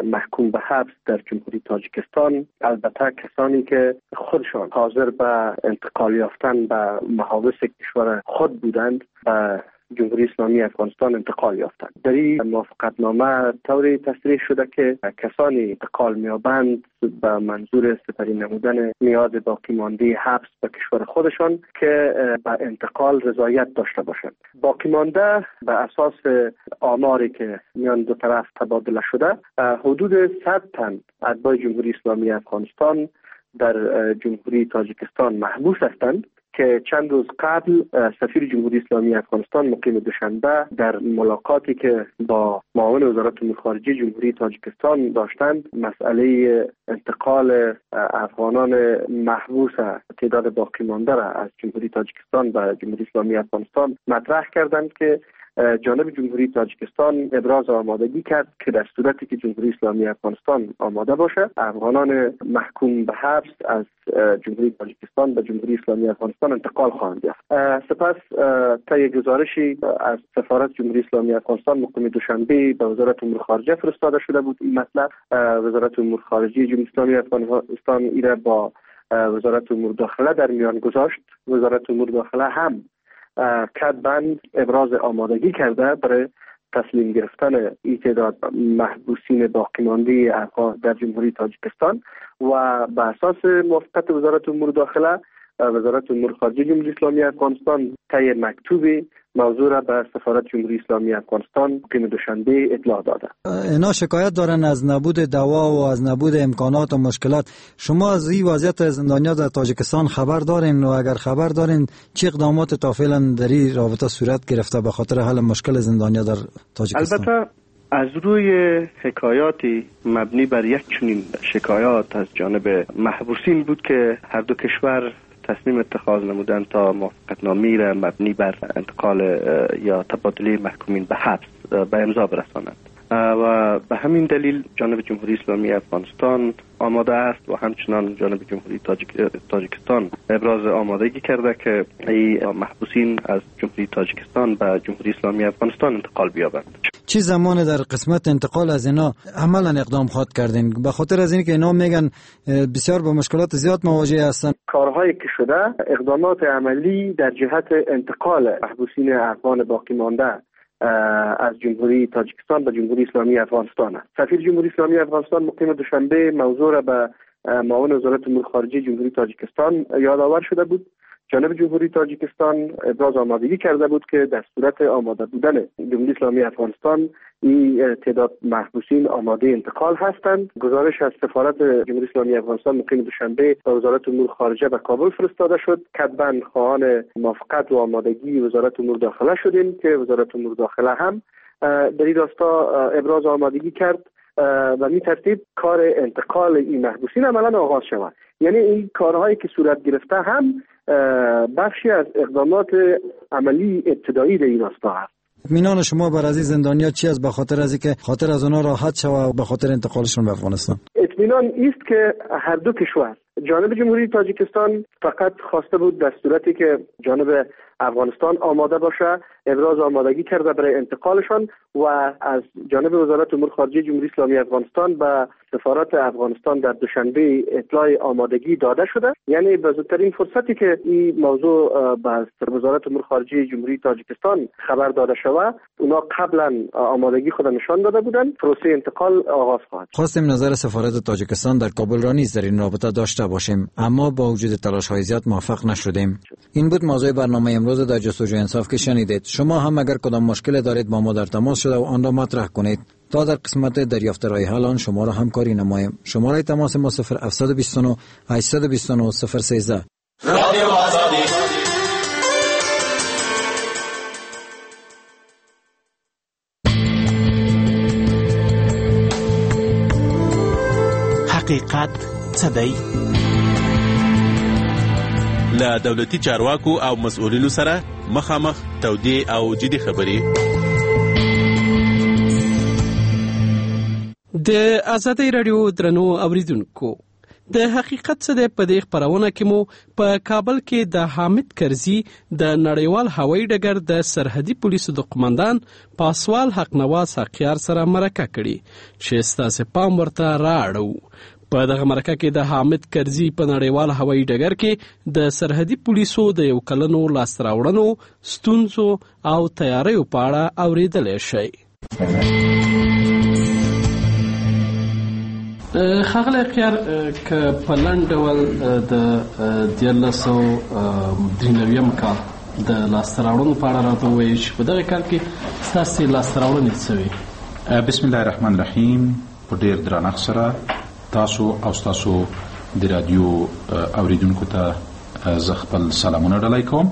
محکوم به حبس در جمهوری تاجیکستان، البته کسانی که خودشان حاضر به انتقال یافتن به محابس کشور خود بودند، به جمهوری اسلامی افغانستان انتقال یافتند. در این موافقتنامه طوری تصریح شده که کسانی انتقال می‌یابند به منظور سپری نمودن میعاد باقی مانده حبس به کشور خودشان که به انتقال رضایت داشته باشند. باقی مانده به اساس آماری که میان دو طرف تبادله شده حدود 100 تن اتباع جمهوری اسلامی افغانستان در جمهوری تاجیکستان محبوس هستند که چند روز قبل سفیر جمهوری اسلامی افغانستان مقیم دوشنبه در ملاقاتی که با معاون وزارت امور خارجه جمهوری تاجیکستان داشتند مسئله انتقال افغانان محبوس تعداد باقی مانده را از جمهوری تاجیکستان به جمهوری اسلامی افغانستان مطرح کردند که جانب جمهوری تاجیکستان ابراز آمادگی کرد که در صورتی که جمهوری اسلامی افغانستان آماده باشه افغانان محکوم به حبس از جمهوری تاجیکستان به جمهوری اسلامی افغانستان انتقال خواهند یافت. سپس طی گزارشی از سفارت جمهوری اسلامی افغانستان مقیم دوشنبه به وزارت امور خارجه فرستاده شده بود این مطلب. وزارت امور خارجه جمهوری اسلامی افغانستان ایره با وزارت امور داخله در میان گذاشت. وزارت امور داخله هم کتباً ابراز آمادگی کرده برای تسلیم گرفتن این تعداد محبوسین باقی مانده افغان در جمهوری تاجیکستان و به اساس موافقت وزارت امور داخله وزارت امور خارجه جمهوری اسلامی افغانستان طی مکتوبی موضوع را به سفارت جمهوری اسلامی افغانستان مقیم دوشنبه اطلاع داده. اینا شکایت دارن از نبود دوا و از نبود امکانات و مشکلات. شما از این وضعیت زندانیا در تاجیکستان خبر دارین و اگر خبر دارین چه اقدامات تا فعلا در این رابطه صورت گرفته به خاطر حل مشکل زندانیا در تاجیکستان؟ البته از روی حکایاتی مبنی بر یک چنین شکایات از جانب محبوسین بود که هر دو کشور تصمیم اتخاذ نمودند تا موافقتنامه‌ای را مبنی بر انتقال یا تبادله محکومین به حبس به امضا برسانند و به همین دلیل جانب جمهوری اسلامی افغانستان آماده است و همچنان جانب جمهوری تاجیکستان ابراز آمادگی کرده که ای محبوسین از جمهوری تاجیکستان به جمهوری اسلامی افغانستان انتقال بیابند. چه زمان در قسمت انتقال از اینا عملا اقدام خواهد کردین؟ به خاطر از اینکه اینا میگن بسیار با مشکلات زیاد مواجه هستن. کارهایی که شده اقدامات عملی در جهت انتقال محبوسین افغان باقی مانده از جمهوری تاجیکستان به جمهوری اسلامی افغانستان است. سفیر جمهوری اسلامی افغانستان مقیم دوشنبه موضوع را به معاون وزارت امور خارجه جمهوری تاجیکستان یادآور شده بود. جانب جمهوری تاجیکستان ابراز آمادگی کرده بود که در صورت آماده بودن جمهوری اسلامی افغانستان این تعداد محبوسین آماده انتقال هستند. گزارش از سفارت جمهوری اسلامی افغانستان مقیم دوشنبه به وزارت امور خارجه به کابل فرستاده شد. کتباً خواهان موافقت و آمادگی وزارت امور داخله شدیم که وزارت امور داخله هم در این راستا ابراز آمادگی کرد و می ترتیب کار انتقال این محبوسین عملاً آغاز شود. یعنی این کارهایی که صورت گرفته هم بخشی از اقدامات عملی ابتدایی در این راستا است. اطمینان شما بر از این زندانیا چی است به خاطر از اینکه خاطر از آنها راحت شود و به خاطر انتقالشون به افغانستان؟ اطمینان است که هر دو کشور، جانب جمهوری تاجیکستان فقط خواسته بود در صورتی که جانب افغانستان آماده باشه ابراز آمادگی کرده برای انتقالشان و از جانب وزارت امور خارجه جمهوری اسلامی افغانستان به سفارت افغانستان در دوشنبه اطلاع آمادگی داده شده. یعنی به زودترین فرصتی که این موضوع به وزارت امور خارجه جمهوری تاجیکستان خبر داده شود، اونا قبلا آمادگی خود نشان داده بودند، پروسه انتقال آغاز خواهد. خواستیم نظر سفارت تاجیکستان در کابل را نیز در این رابطه داشته باشیم، اما با وجود تلاش‌های زیاد موفق نشدیم. این بود موضوع برنامه امروز در جستجوی انصاف که شنیدید. شما هم اگر کدام مشکل دارید با ما در تماس شده و آن را مطرح کنید تا در قسمت دریافت راه حل آن شما را همکاری نماییم. شماره تماس ما 0729 829 013. رادیو آزادی. حقیقت څه دی؟ له دولتي چارواکو او مسؤلینو سره مخامخ تودې او جدي خبرې. د ازادي راډیو درنو اوریدونکو، د حقیقت څه دی په دې خپرونه کې مو په کابل کې د حامد کرزي د نړیوال هوایي ډګر د سرحدي پولیسو د قومندان پاسوال حقنواز حقیار سره مرکه کړې چې ستاسو پام ورته رااړو. په دغه مرکه کې د حامد کرزي په نړیوال هوایي ډګر کې د سرحدي پولیسو د یو کلنو لاسته راوړنو، ستونزو او تیاریو په اړه اوریدلی شئ. ښاغلی حقیار، که په لنډ ډول د 1393 کال د لاسته راوړنو په اړه راته ووایئ چې په دغه کال کې ستاسې لاسته راوړنې څه وې؟ بسم الله الرحمن الرحیم. په ډېر درنښت سره تاسو او ستاسو د رادیو اوریدونکو ته زه خپل سلامونه ډالۍ کوم.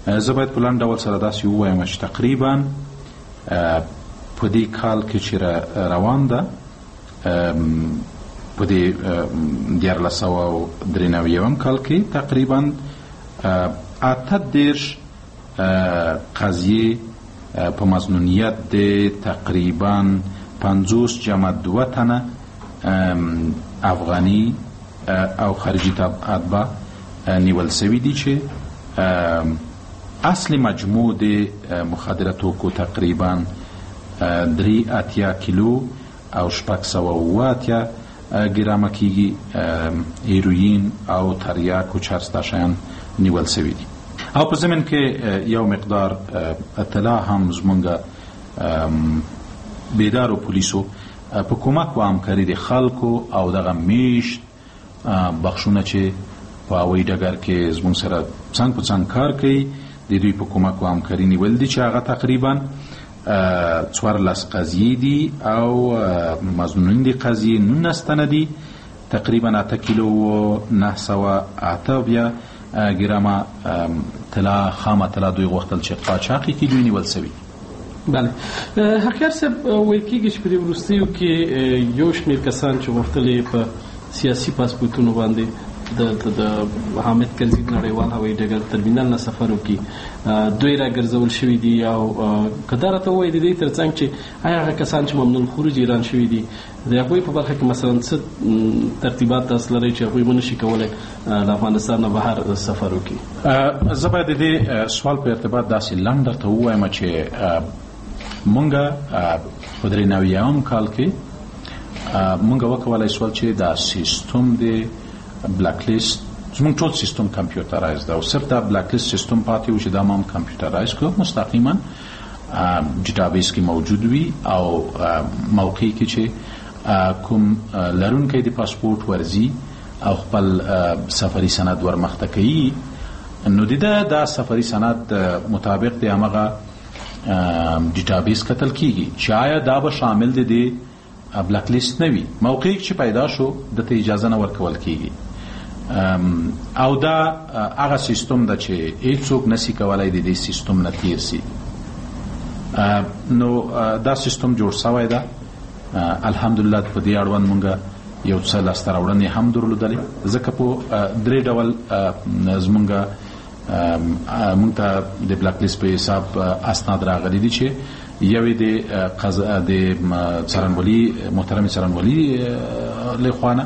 زه باید په لنډ ډول سره داسې ووایم چې تقریبا په دې کال کې چې روان ده، په دې 1393 کال کې تقریبا 38 قضیې په مظنونیت د تقریبا 50 جمع 2 تنه افغانی او خارجي اتباع نیول سوي دي چې اصل مجموع د مخدره توکو تقریبا 83 کیلو او 680 ګرامه کیږي. هیروین او تریاک و چرس دا شیان نیول سوي دي. او په ضمن کې یو مقدار اطلاع هم زمونږ بیدارو پولیسو په کومک و همکاري د خلکو او دغه میشت بخشونه چې په هوایي ډګر کې زموږ سره څنګ په څنګ کار کوي، د دوی په کمک او همکاري نیول دي چې هغه تقریبا 14 قضیې دي او مظنونین دي قضیې 19 تنه دي، تقریبا 8 کیلو و 908 ګرامه طلا، خامه طلا دوی غوښتل چې قاچاق یې کړي، دوی نیول سوي. بله، حقیار صاحب، ویل کېږي چې په دې وروستیو کې یو شمېر کسان چې غوښتل یې په سیاسي پاسپورتونو باندې د حامد کرزي نړیوال هوایي ډګر ترمینل نه سفر وکړي، دوی راګرځول شوي دي. او که دا راته ووایي د دې ترڅنګ چې آیا هغه کسان چې ممنوع الخروج اعلان شوي دي، د هغوی په برخه کې مثلا څه ترتیبات تاسو لرئ چې هغوی ونه شي کولی له افغانستان نه بهر سفر وکړي؟ زه باید د دې سوال په ارتباط داسې لنډ درته ووایم چې مونږ په 93 کال کې مونږ وکولای سول چې دا سیستم د بلک لیست، زموږ ټول سیستم کمپیوټرایز ده او صرف دا بلک لیست سیستم پاتې و چې دا ما هم کمپیوټرایز کړو، مستقیما ډیټابیس کې موجود وي او موقع کې چې کوم لرونکی د پاسپورت ورځي او خپل سفري سند ورمخته کوي، نو د دا سفري سند مطابق د همغه ډیټابیس کتل کیږي چې آیا دا به شامل دی د بلک لیست نه وي. موقع چې پیدا شو دته اجازه نه ورکول کیږي او دا هغه سیستم ده چې هیڅوک نسی کولای د دې سیستم نه تیر سي. نو دا سیستم جوړ سوی ده، الحمدلله. په دې اړوند مونږ یو څه لاسته راوړنې هم درلودلې، ځکه په درې ډول زمونږ مونږ ته د بلک لیست په حساب اسناد راغلي دي چې یوې د څارنوالي، محترمې څارنوالي له خوا نه،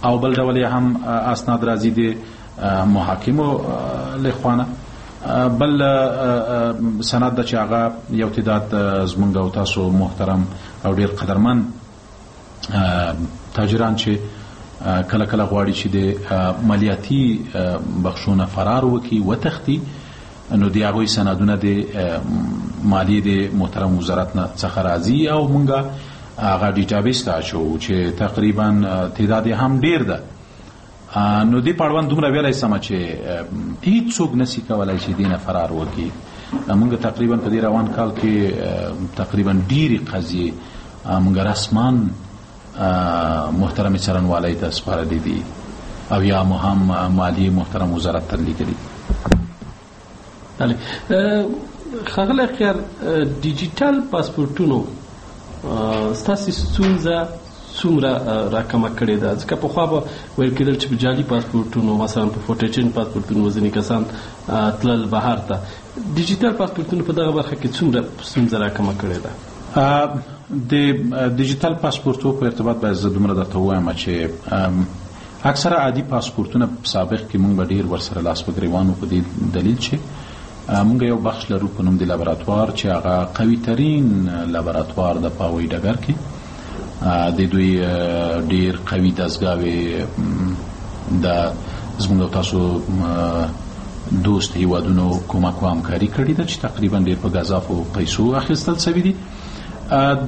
او بل ډول یې هم اسناد راځي د محاکمو له خوا نه، بل سند ده چې هغه یو تعداد زمونږ او تاسو محترم او ډیر قدرمن تاجران چې کله کله غواړي چې د مالیاتي بخښونه فرار وکړي، وتښتي، نو د هغوی سندونه د مالیې د محترم وزارت نه څخه راځي او مونږ هغه ډیټابیس ته اچوو چې تقریبا تعداد یې هم ډیر ده. نو دې په اړوند دومره ویلی سم چې هیڅوک نسی کولای چې دې نه فرار وکړي. مونږ تقریبا په دې روان کال کې تقریبا ډېرې قضیې مونږ رسما محترمې څارنوالۍ ته سپارلې دي او یا مو هم مالیې محترم وزارت ته لیکلي. بله، ښاغلی حقیار، ډیجیټل پاسپورتونو ستاسې ستونزه څومره راکمه کړې ده؟ ځکه پخوا به ویل کېدل چې په جعلي پاسپورتونو، مثلا په فوټیچن پاسپورتونو به ځینې کسان تلل بهر ته. ډیجیټل پاسپورتونو په دغه برخه کې څومره ستونزه راکمه کړې ده؟ د ډیجیټل پاسپورتو په ارتباط باید زه دومره درته ووایم چې اکثره عادي پاسپورتونه په سابق کې مونږ به ډېر ورسره لاس په ګریوان وو، په دې دلیل چې مونږ یو بخش لرو په نوم د لابراتوار چې هغه قوي ترین لابراتوار ده په هوایي ډګر کې. د دوی ډېر قوي دستګاوې د زموږ او تاسو دوست هیوادونو کمک و همکاري کړې ده چې تقریبا ډېر په ګزافو پیسو اخیستل سوي دي.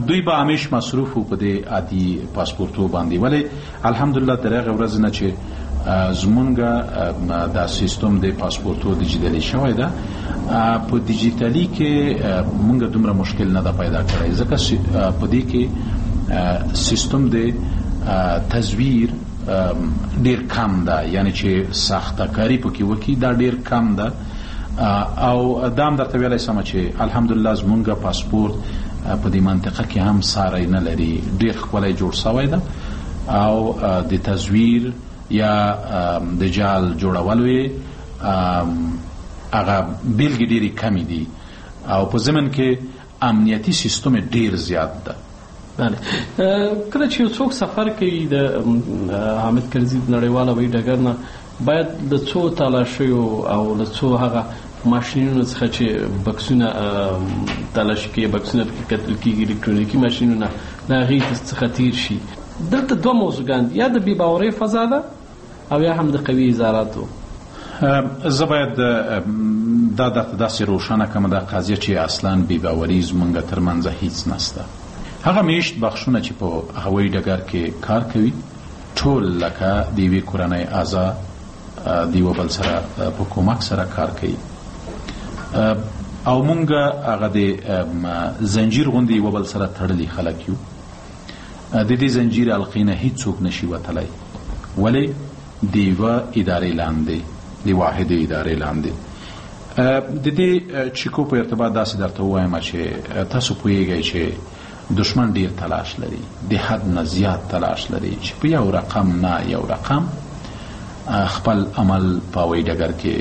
دوی به همیش مصروف وو په دې عادي پاسپورتو باندې، ولی الحمدلله تر هغې ورځې نه چې زمونږ دا سیستم د پاسپورتو دیجیتالي شوی ده، په دیجیتالي کې مونږ دومره مشکل نه ده پیدا کړی، ځکه په دې کې سیستم د تزویر ډیر کم ده، یعنی چې ساختکاری پکې وکړي دا ډیر کم ده. او دا هم درته ویلی سم چې الحمدلله زمونږ پاسپورت په دې منطقه کې هم ساری نه لري، ډیر ښکلی جوړ سوی ده او د تزویر یا د جال جوړولو یې هغه بیلګې ډېرې کمې دي او په ضمن کې امنیتي سیستم یې ډېر زیات ده. بله، کله چې یو څوک سفر کوي د حامد کرزي د نړیوال هوایي ډګر نه، باید له څو تالاشیو او له څو هغه ماشینونو څخه چې بکسونه تالاشي کوي، بکسونه پکې کتل کېږي، الکترونیکي ماشینونه، له هغې څخه تیر شي. دلته دوه موضوعګان دي، یا د بې باورۍ فضا ده او یا هم د قوي اداراتو. زه باید دا درته داسې روښانه کړم دا قضیه چې اصلا بې باوري زمونږ ترمنځ هیڅ نسته. هغه میشت بخشونه چې په هوایي ډګر کې کار کوي ټول لکه د یوې کورنۍ اعضا د یو بل سره په کومک سره کار کوي او مونږ هغه د زنجیر غوندې یو بل سره تړلي خلک یو. د دې زنجیر حلقې نه هیڅوک نشي وتلی، ولې د یوه ادارې لاندې، د واحدې ادارې لاندې. د دې چیکو په ارتباط داسې درته ووایم چې تاسو پوهیږئ چې دشمن ډیر تلاش لري، د حد نه زیات تلاش لري چې په یو رقم نه یو رقم خپل عمل په هوایي ډګر کې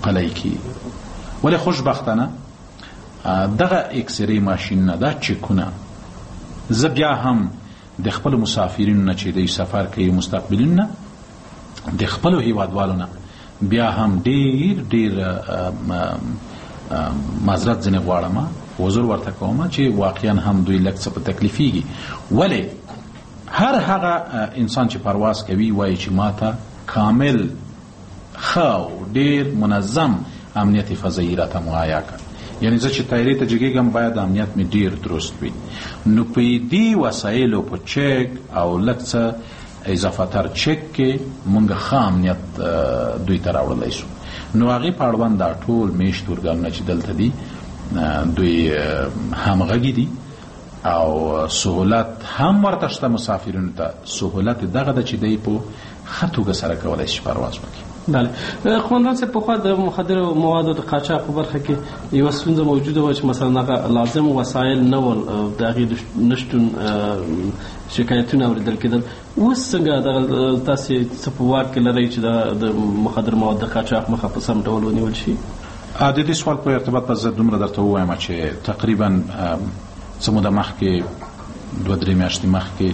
پلی کړي. ولې خوشبختانه دغه اکسری ماشینونه، دا چکونه، زه بیا هم د خپلو مسافرینو نه چې دوی سفر کوي، مستقبلینو نه، د خپلو هیوادوالو نه بیا هم ډیر ډیر معذرت ځینې غواړم، عذر ورته کوم چې واقعا هم دوی لږ څه په تکلیفیږي. ولې هر هغه انسان چې پرواز کوي وایي چې ماته کامل ښه او ډیر منظم امنیت فضایي راته مهیا کړ، یعنی زه چې طیارې ته جګېږم باید امنیت مې ډیر درست وي. نو په دې وسایلو په چک او لږ څه اضافه تر چک کې مونږ ښه امنیت دوی ته راوړلی سو. نو هغې په اړوند دا ټول میشت ارګانونه چې دلته دي دوی همغږي دي او سهولت هم ورته شته مسافرینو ته. سهولت دغه ده چې دی په ښه توګه سره کولی شي پرواز وکړي. بله قومندان صاحب، پخوا د مخدرو موادو د قاچاق په برخه کې یوه ستونزه موجوده وه چې مثلا هغه لازم وسایل نه ول، د هغې د نشتون شکایتونه اورېدل کېدل. اوس څنګه دغه تاسې څه په واک کې لرئ چې د مخدر مواد د قاچاق مخه په سم ډول ونیول شي؟ د دې سوال په ارتباط به زه دومره درته ووایم چې تقریبا څه موده مخکې، 2-3 میاشتې مخکې،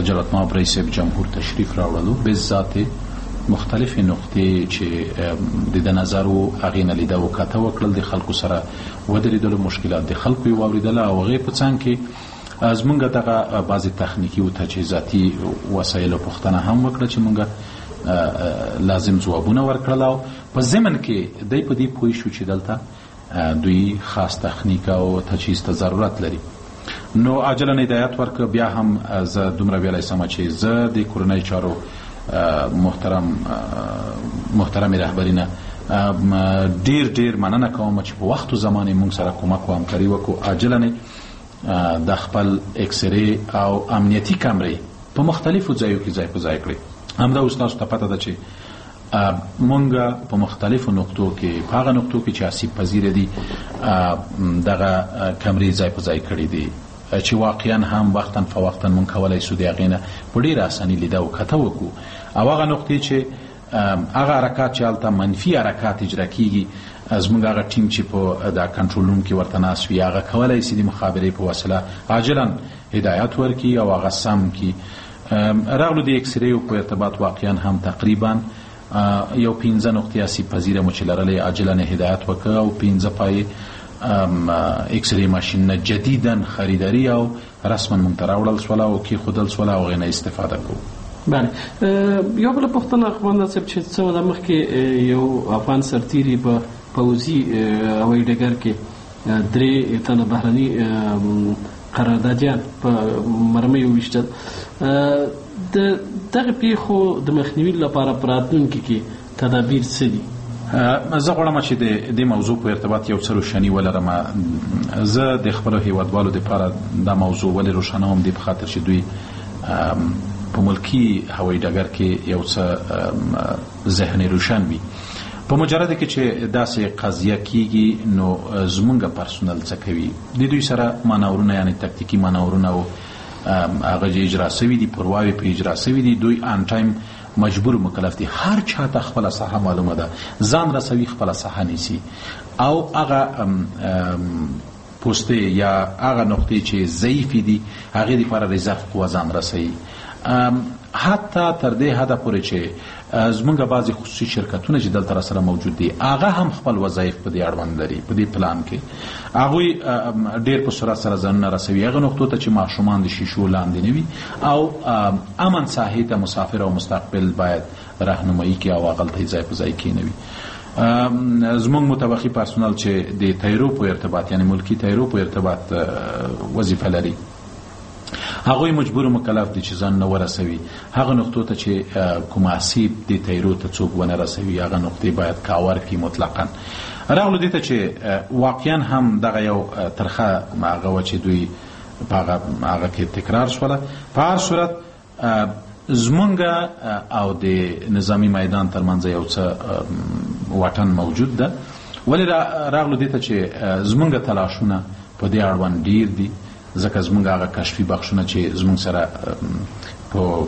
جلالتمآب رئیس صاحب جمهور تشریف راوړلو، بالذات مختلفې نقطې چې د ده نظر و هغې نه لیده و کته وکړل، د خلکو سره ودرېدلو، مشکلات د خلکو یې واورېدله او هغې په څنګ کې زمونږ دغه بعضې تخنیکي او تجهیزاتي وسایلو پوښتنه هم وکړه چې مونږ لازم ځوابونه ورکړل. او په ضمن کې دی په دې پوه شو چې دلته دوی خاص تخنیک او تجهیز ته ضرورت لري. نو عاجلا هدایت ورکړ. بیا هم زه دومره ویلی سم چې زه د کورنیو چارو محترم رهبري نه ډیر ډیر مننه کوم چې په وخت و زمان یې مونږ سره کمک و همکاري وکړو. عاجلا د خپل اکسری او امنیتي کمرې په مختلفو ځایو کې ځای په ځای کړې. همدا اوس تاسو ته پته ده چې مونږ په مختلفو نقطو کې، په هغه نقطو کې چې آسیب پذیر دي، دغه کمرې ځای په ځای کړې دي چې واقعا هم وقتا فوقتا مونږ کولای سو د هغې نه په ډېره اساني لیده او کته وکړو. او هغه نقطې چې هغه حرکات چې هلته منفي حرکات اجرا کیږي، زموږ هغه ټیم چې په دا کنټرول روم کې ورته ناست وي هغه کولای سي د مخابرې په وسیله عاجلا هدایت ورکړي او هغه سم کړي. راغلو د اکسریو په ارتباط واقعا هم تقریبا یو 5 نقطې آسیب پذیره مو چې لرلې عاجلا هدایت وکړ او 5 پای اکسری ماشین جدیدا خریداری او رسما مونږ ته راوړل سوله او کېښودل سوله او هغې نه استفاده کوو. بله، یو بله پوښتنه قومندان صاحب، چې څه موده مخکې یو افغان سرتیري په پوځي هوایي ډګر کې 3 تنه بهرني قراردادیان په مرمۍ وویشتل. د دغه پیښو د مخنیوي لپاره په راتلونکي کې تدابیر څه دي؟ زه غواړم چې د دې موضوع په ارتباط یو څه روشني ولرم. زه د خپلو هیوادوالو دپاره دا موضوع ولې روښانوم، دې په خاطر چې دوی په ملکی هوایي ډګر کې یو څه ذهن روشن وي. په مجرد کې چې داسې قضیه کیږي نو زمونږ پرسونل څه کوي، د دوی سره مانورونه، یعنی تکتیکي مانورونه او هغه چې اجرا سوي دي، پرواوې په اجرا سوي دي، دوی آن ټایم مجبور مکلف دي. هر چاته خپله ساحه معلومه ده، ځان رسوي، خپله ساحه نیسي او هغه پوستې یا هغه نقطې چې ضعیفې دي هغې دپاره ریزرف قوه ځان رسوي. حتی تر دې حده پورې چې زمونږ بعضې خصوصي شرکتونه چې دلته راسره موجود دي هغه هم خپل وظایف په دې اړوند لري. په دې پلان کې هغوی ډېر په سرعت سره ځانونه رسوي هغه نقطو ته چې ماشومان د شیشو لاندې نه وي او امن ساحې ته مسافر او مستقبل باید راهنمایي کړي او هغلته یې ځای په ځای کښېنوي. زمونږ متوقي پرسونل چې د طیرو په ارتباط، یعنی ملکی طیرو په ارتباط وظیفه لري، هغوی مجبور و مکلف دي چې ځان نه ورسوي هغه نقطو ته چې کوم آسیب د طیرو ته څوک ونه رسوي، هغه نقطې باید کاور کړي مطلقاً. راغلو دې ته چې واقعا هم دغه یو ترخه هغه وه چې دوی په هغه کې تکرار شوله. په هر صورت زمونږ او د نظامی میدان ترمنځ یو څه واټن موجود ده، ولی راغلو دې ته چې زمونږ تلاشونه په دې اړوند ډیر دي، ځکه زمونږ هغه کشفي بخشونه چې زمونږ سره په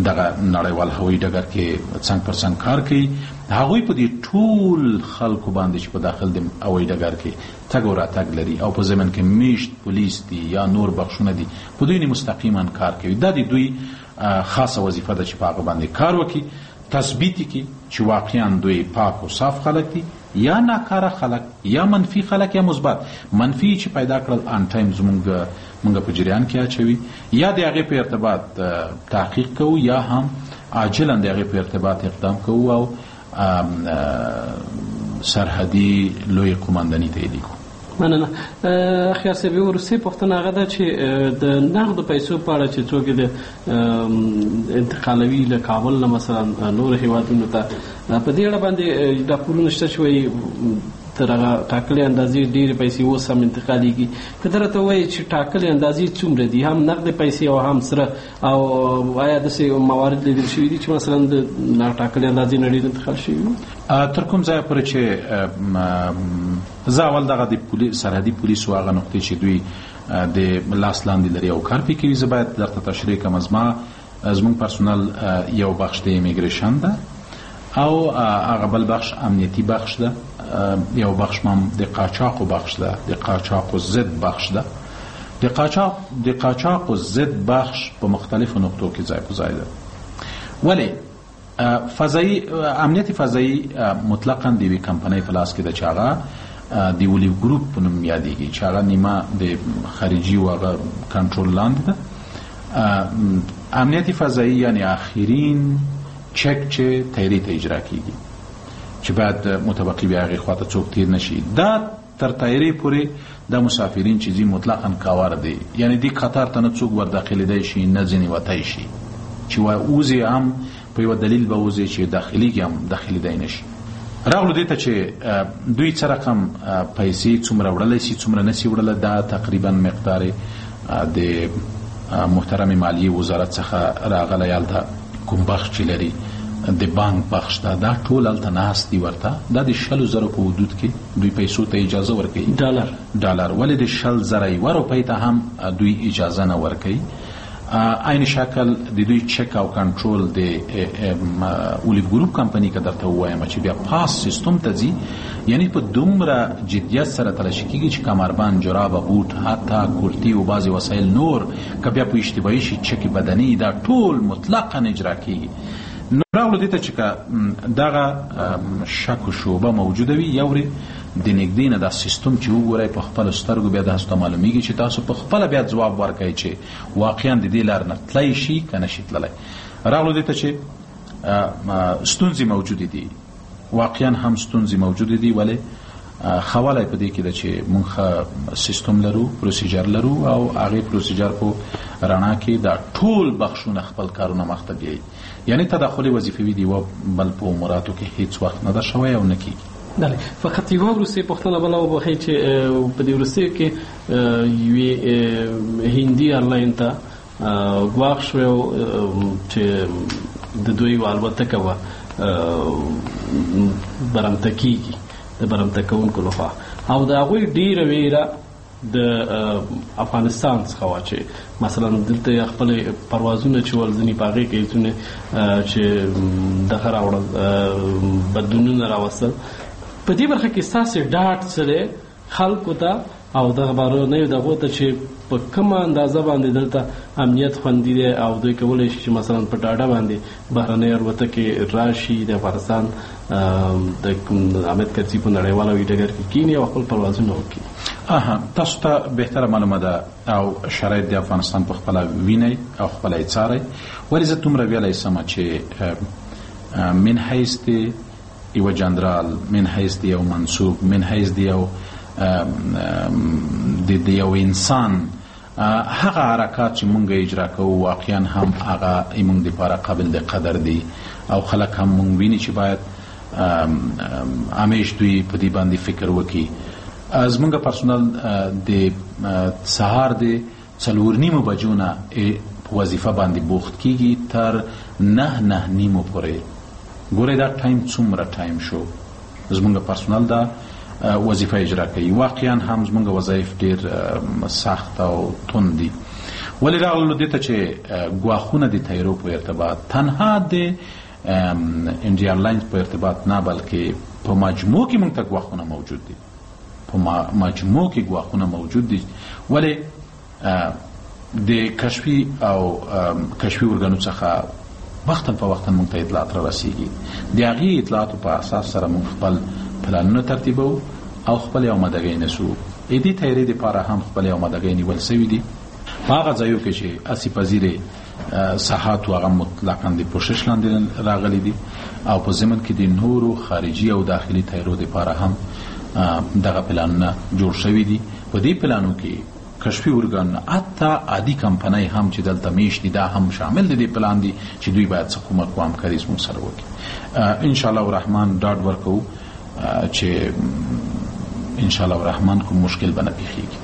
دغه نړیوال هوایي ډګر کې څنګ پر څنګ کار کوي، هغوی په دې ټول خلکو باندې چې په داخل د هوایي ډګر کې تګ او راتګ لري او په ضمن کې میشت پولیس دي یا نور بخشونه دي، په دوی مستقیما کار کوي. دا د دوی خاصه وظیفه ده چې په هغه باندې کار وکړي، تثبیت کړي چې واقعا دوی پاک او صاف خلک دي یا ناکاره خلک یا منفي خلک یا مثبت. منفي چې پیدا کړل آن ټایم زمونږ په جریان کې اچوي، یا د هغې په ارتباط تحقیق کوو یا هم عاجلا د هغې په ارتباط اقدام کوو او سرحدي لوی قومنداني ته یې لیکو. مننه. خیال صاحب، یوه وروستۍ پوښتنه هغه ده چې د نغدو پیسو په اړه چې څوک یې د انتقالوي له کابل نه مثلا نورو هېوادونو ته، په دې اړه باندې راپورونه شته چې وایي تر هغه ټاکلې اندازې ډېرې پیسې اوس هم انتقالېږي. که ته راته ووایې چې ټاکلې اندازې څومره دي، هم نغدې پیسې او هم سره، او آیا داسې موارد لیدل شوي دي چې مثلا د ټاکلې اندازې نه ډېر انتقال شوي وي؟ تر کوم ځایه پورې چې زه اول دغه د سرحدي پولیسو هغه نقطې چې دوی د لاس لاندې لري او کار پرې کوي، زه باید درته تشریح کړم. زموږ پرسونل یو بخش د امیګریشن ده او هغه بل بخش امنیتي بخش ده، یو بخش هم د قاچاقو بخش ده، د قاچاقو ضد بخش ده. د قاچاقو ضد بخش په مختلفو نقطو کې ځای په ځای ده، ولی فضایی امنیت فضایی مطلقاً د یوې کمپنۍ په لاس کې ده چې هغه د اولیو ګروپ په نوم یادېږي، چې هغه نیمه د خارجي او هغه کنټرول لاندې ده. امنیت فضایی یعنی آخرین چک چې طیرې ته اجرا کیږي چې باید متبقي بیا هغې خواته څوک تیر نشي، دا تر طیرې پورې دا مسافرین چې ځي مطلقاً کاور دی، یعنی دې قطار ته نه څوک ورداخلېدای شي نه ځینې وتی شي، چې وځي هم په یوه دلیل به وځي چې داخلېږي هم داخلېدای نه شي. راغلو دې ته چې دوی څه رقم پیسې څومره وړلی شي څومره نه شي وړلی، دا تقریبا مقدار د محترم مالیې وزارت څخه راغلی، هلته کوم بخش چې لري د بانک بخش ده، دا ټول هلته ناست دي ورته. دا د 20,000 په حدود کې دوی پیسو ته اجازه ورکوي، ډالر، ولې د 20,000 یوه روپۍ ته هم دوی اجازه نه ورکوي. عین شکل د دوی چک او کنټرول د اولیو ګروپ کمپنی که درته ووایم چې بیا پاس سیستم ته ځي، یعنی په دومره جدیت سره تلاشي کیږي چې کمربند، جرابه، بوټ، حتی کرتی او بعضې وسایل نور که بیا په اشتباهي شي چک بدني، دا ټول مطلقا اجرا کیږي. نو راغلو دې ته چې که دغه شک و شوبه موجوده وي، یو ورې د نږدې نه دا سیستم چې وګورئ په خپلو سترګو بیا تاسو ته معلومیږي چې تاسو په خپله بیا ځواب ورکړئ چې واقعا د دې لار نه تللی شي که نه شي تللی. راغلو دې ته چې ستونزې موجودې دي، واقعا هم ستونزې موجودې دي، ولې ښه والی په دې کې ده چې موږ ښه سیستم لرو، پروسیجر لرو، او هغې پروسیجر په رڼا کې دا ټول بخشونه خپل کارونه مخته بیایي، یعنی تداخل وظیفوي د یوه بل په اموراتو کې هیڅ وخت نه ده شوی او نه کیږي. بله، فقط یوه وروستۍ پوښتنه بله وبخښئ چې په دې وروستیو کې یوې هندي ایرلاین ته ګواښ شوی چې د دوی یوه الوتکه وه برمته کیږي د برمته کوونکو لخوا، او د هغوی ډېره ویره د افغانستان څخه وه چې مثلا دلته خپل پروازونه چې ول ځینې په هغې کې ځینې چې دغه راوړل بدلونونه راوستل. په دې برخه کې ستاسې ډاډ څه دی خلکو ته او دغه بهرنیو دغو ته چې په کومه اندازه باندې دلته امنیت خوندي دی او دوی کولی شي چې مثلا په ډاډه باندې بهرنۍ الوتکې راشي د افغانستان د حامد کرزي په نړیوال هوایي ډګر کې کښېني او خپل پروازونه وکړي؟ تاسو ته بهتره معلومه ده او شرایط د افغانستان په خپله وینئ او خپله یې څارئ، ولې زه دومره ویلی سم چې من حیث د یو جنرال، من حیث د یو منصوب، من حیث د یو د یو انسان هغه حرکات چې مونږ اجرا کوو واقعا هم هغه مونږ دپاره قابل د قدر دي او خلک هم مونږ ویني چې باید همیش دوی په دې باندې فکر وکړي. زمونږ پرسونل د سهار د 4:30 بجو نه په وظیفه باندې بوخت کیږي تر 9-9:30 پورې. ګورئ دا time څومره time شو، زمونږ پرسونل دا وظیفه اجرا کوي. واقعا هم زمونږ وظایف ډیر سخت او تند دي، ولې راغلو دې ته چې ګواښونه د طیارو په ارتباط تنها د انډیا ایرلاینز په ارتباط نه، بلکې په مجموع کې موږ ته ګواښونه موجود دي، په مجموع کې ګواښونه موجود دي. ولې د کشفي او کشفي ارګانو څخه وختاً په وختاً موږ ته اطلاعات را رسیږي، د هغې اطلاعاتو په اساس سره موږ خپل پلانونه ترتیبوو او خپلې آمادګۍ نیسو. د دې تیارې دپاره هم خپلې آمادګۍ نیول سوي دي. په هغه ځایو کې چې آسیب پذیر ساحات و هغه مطلقاً د پوښښ لاندې راغلي دي او په ضمن کې د نورو خارجي او داخلي تیارو دپاره هم دغه پلانونه جوړ شوي دي. په دې پلانو کې کشفي ارګانونه حتی عادي کمپنۍ هم چې دلته میشت دي دا هم شامل دي دې پلان دي چې دوی باید څه کمک و همکاري زموږ سره وکړي. ان شاء الله الرحمن ډاډ ورکوو چې ان شاء الله الرحمن کوم مشکل به نه پیښیږي.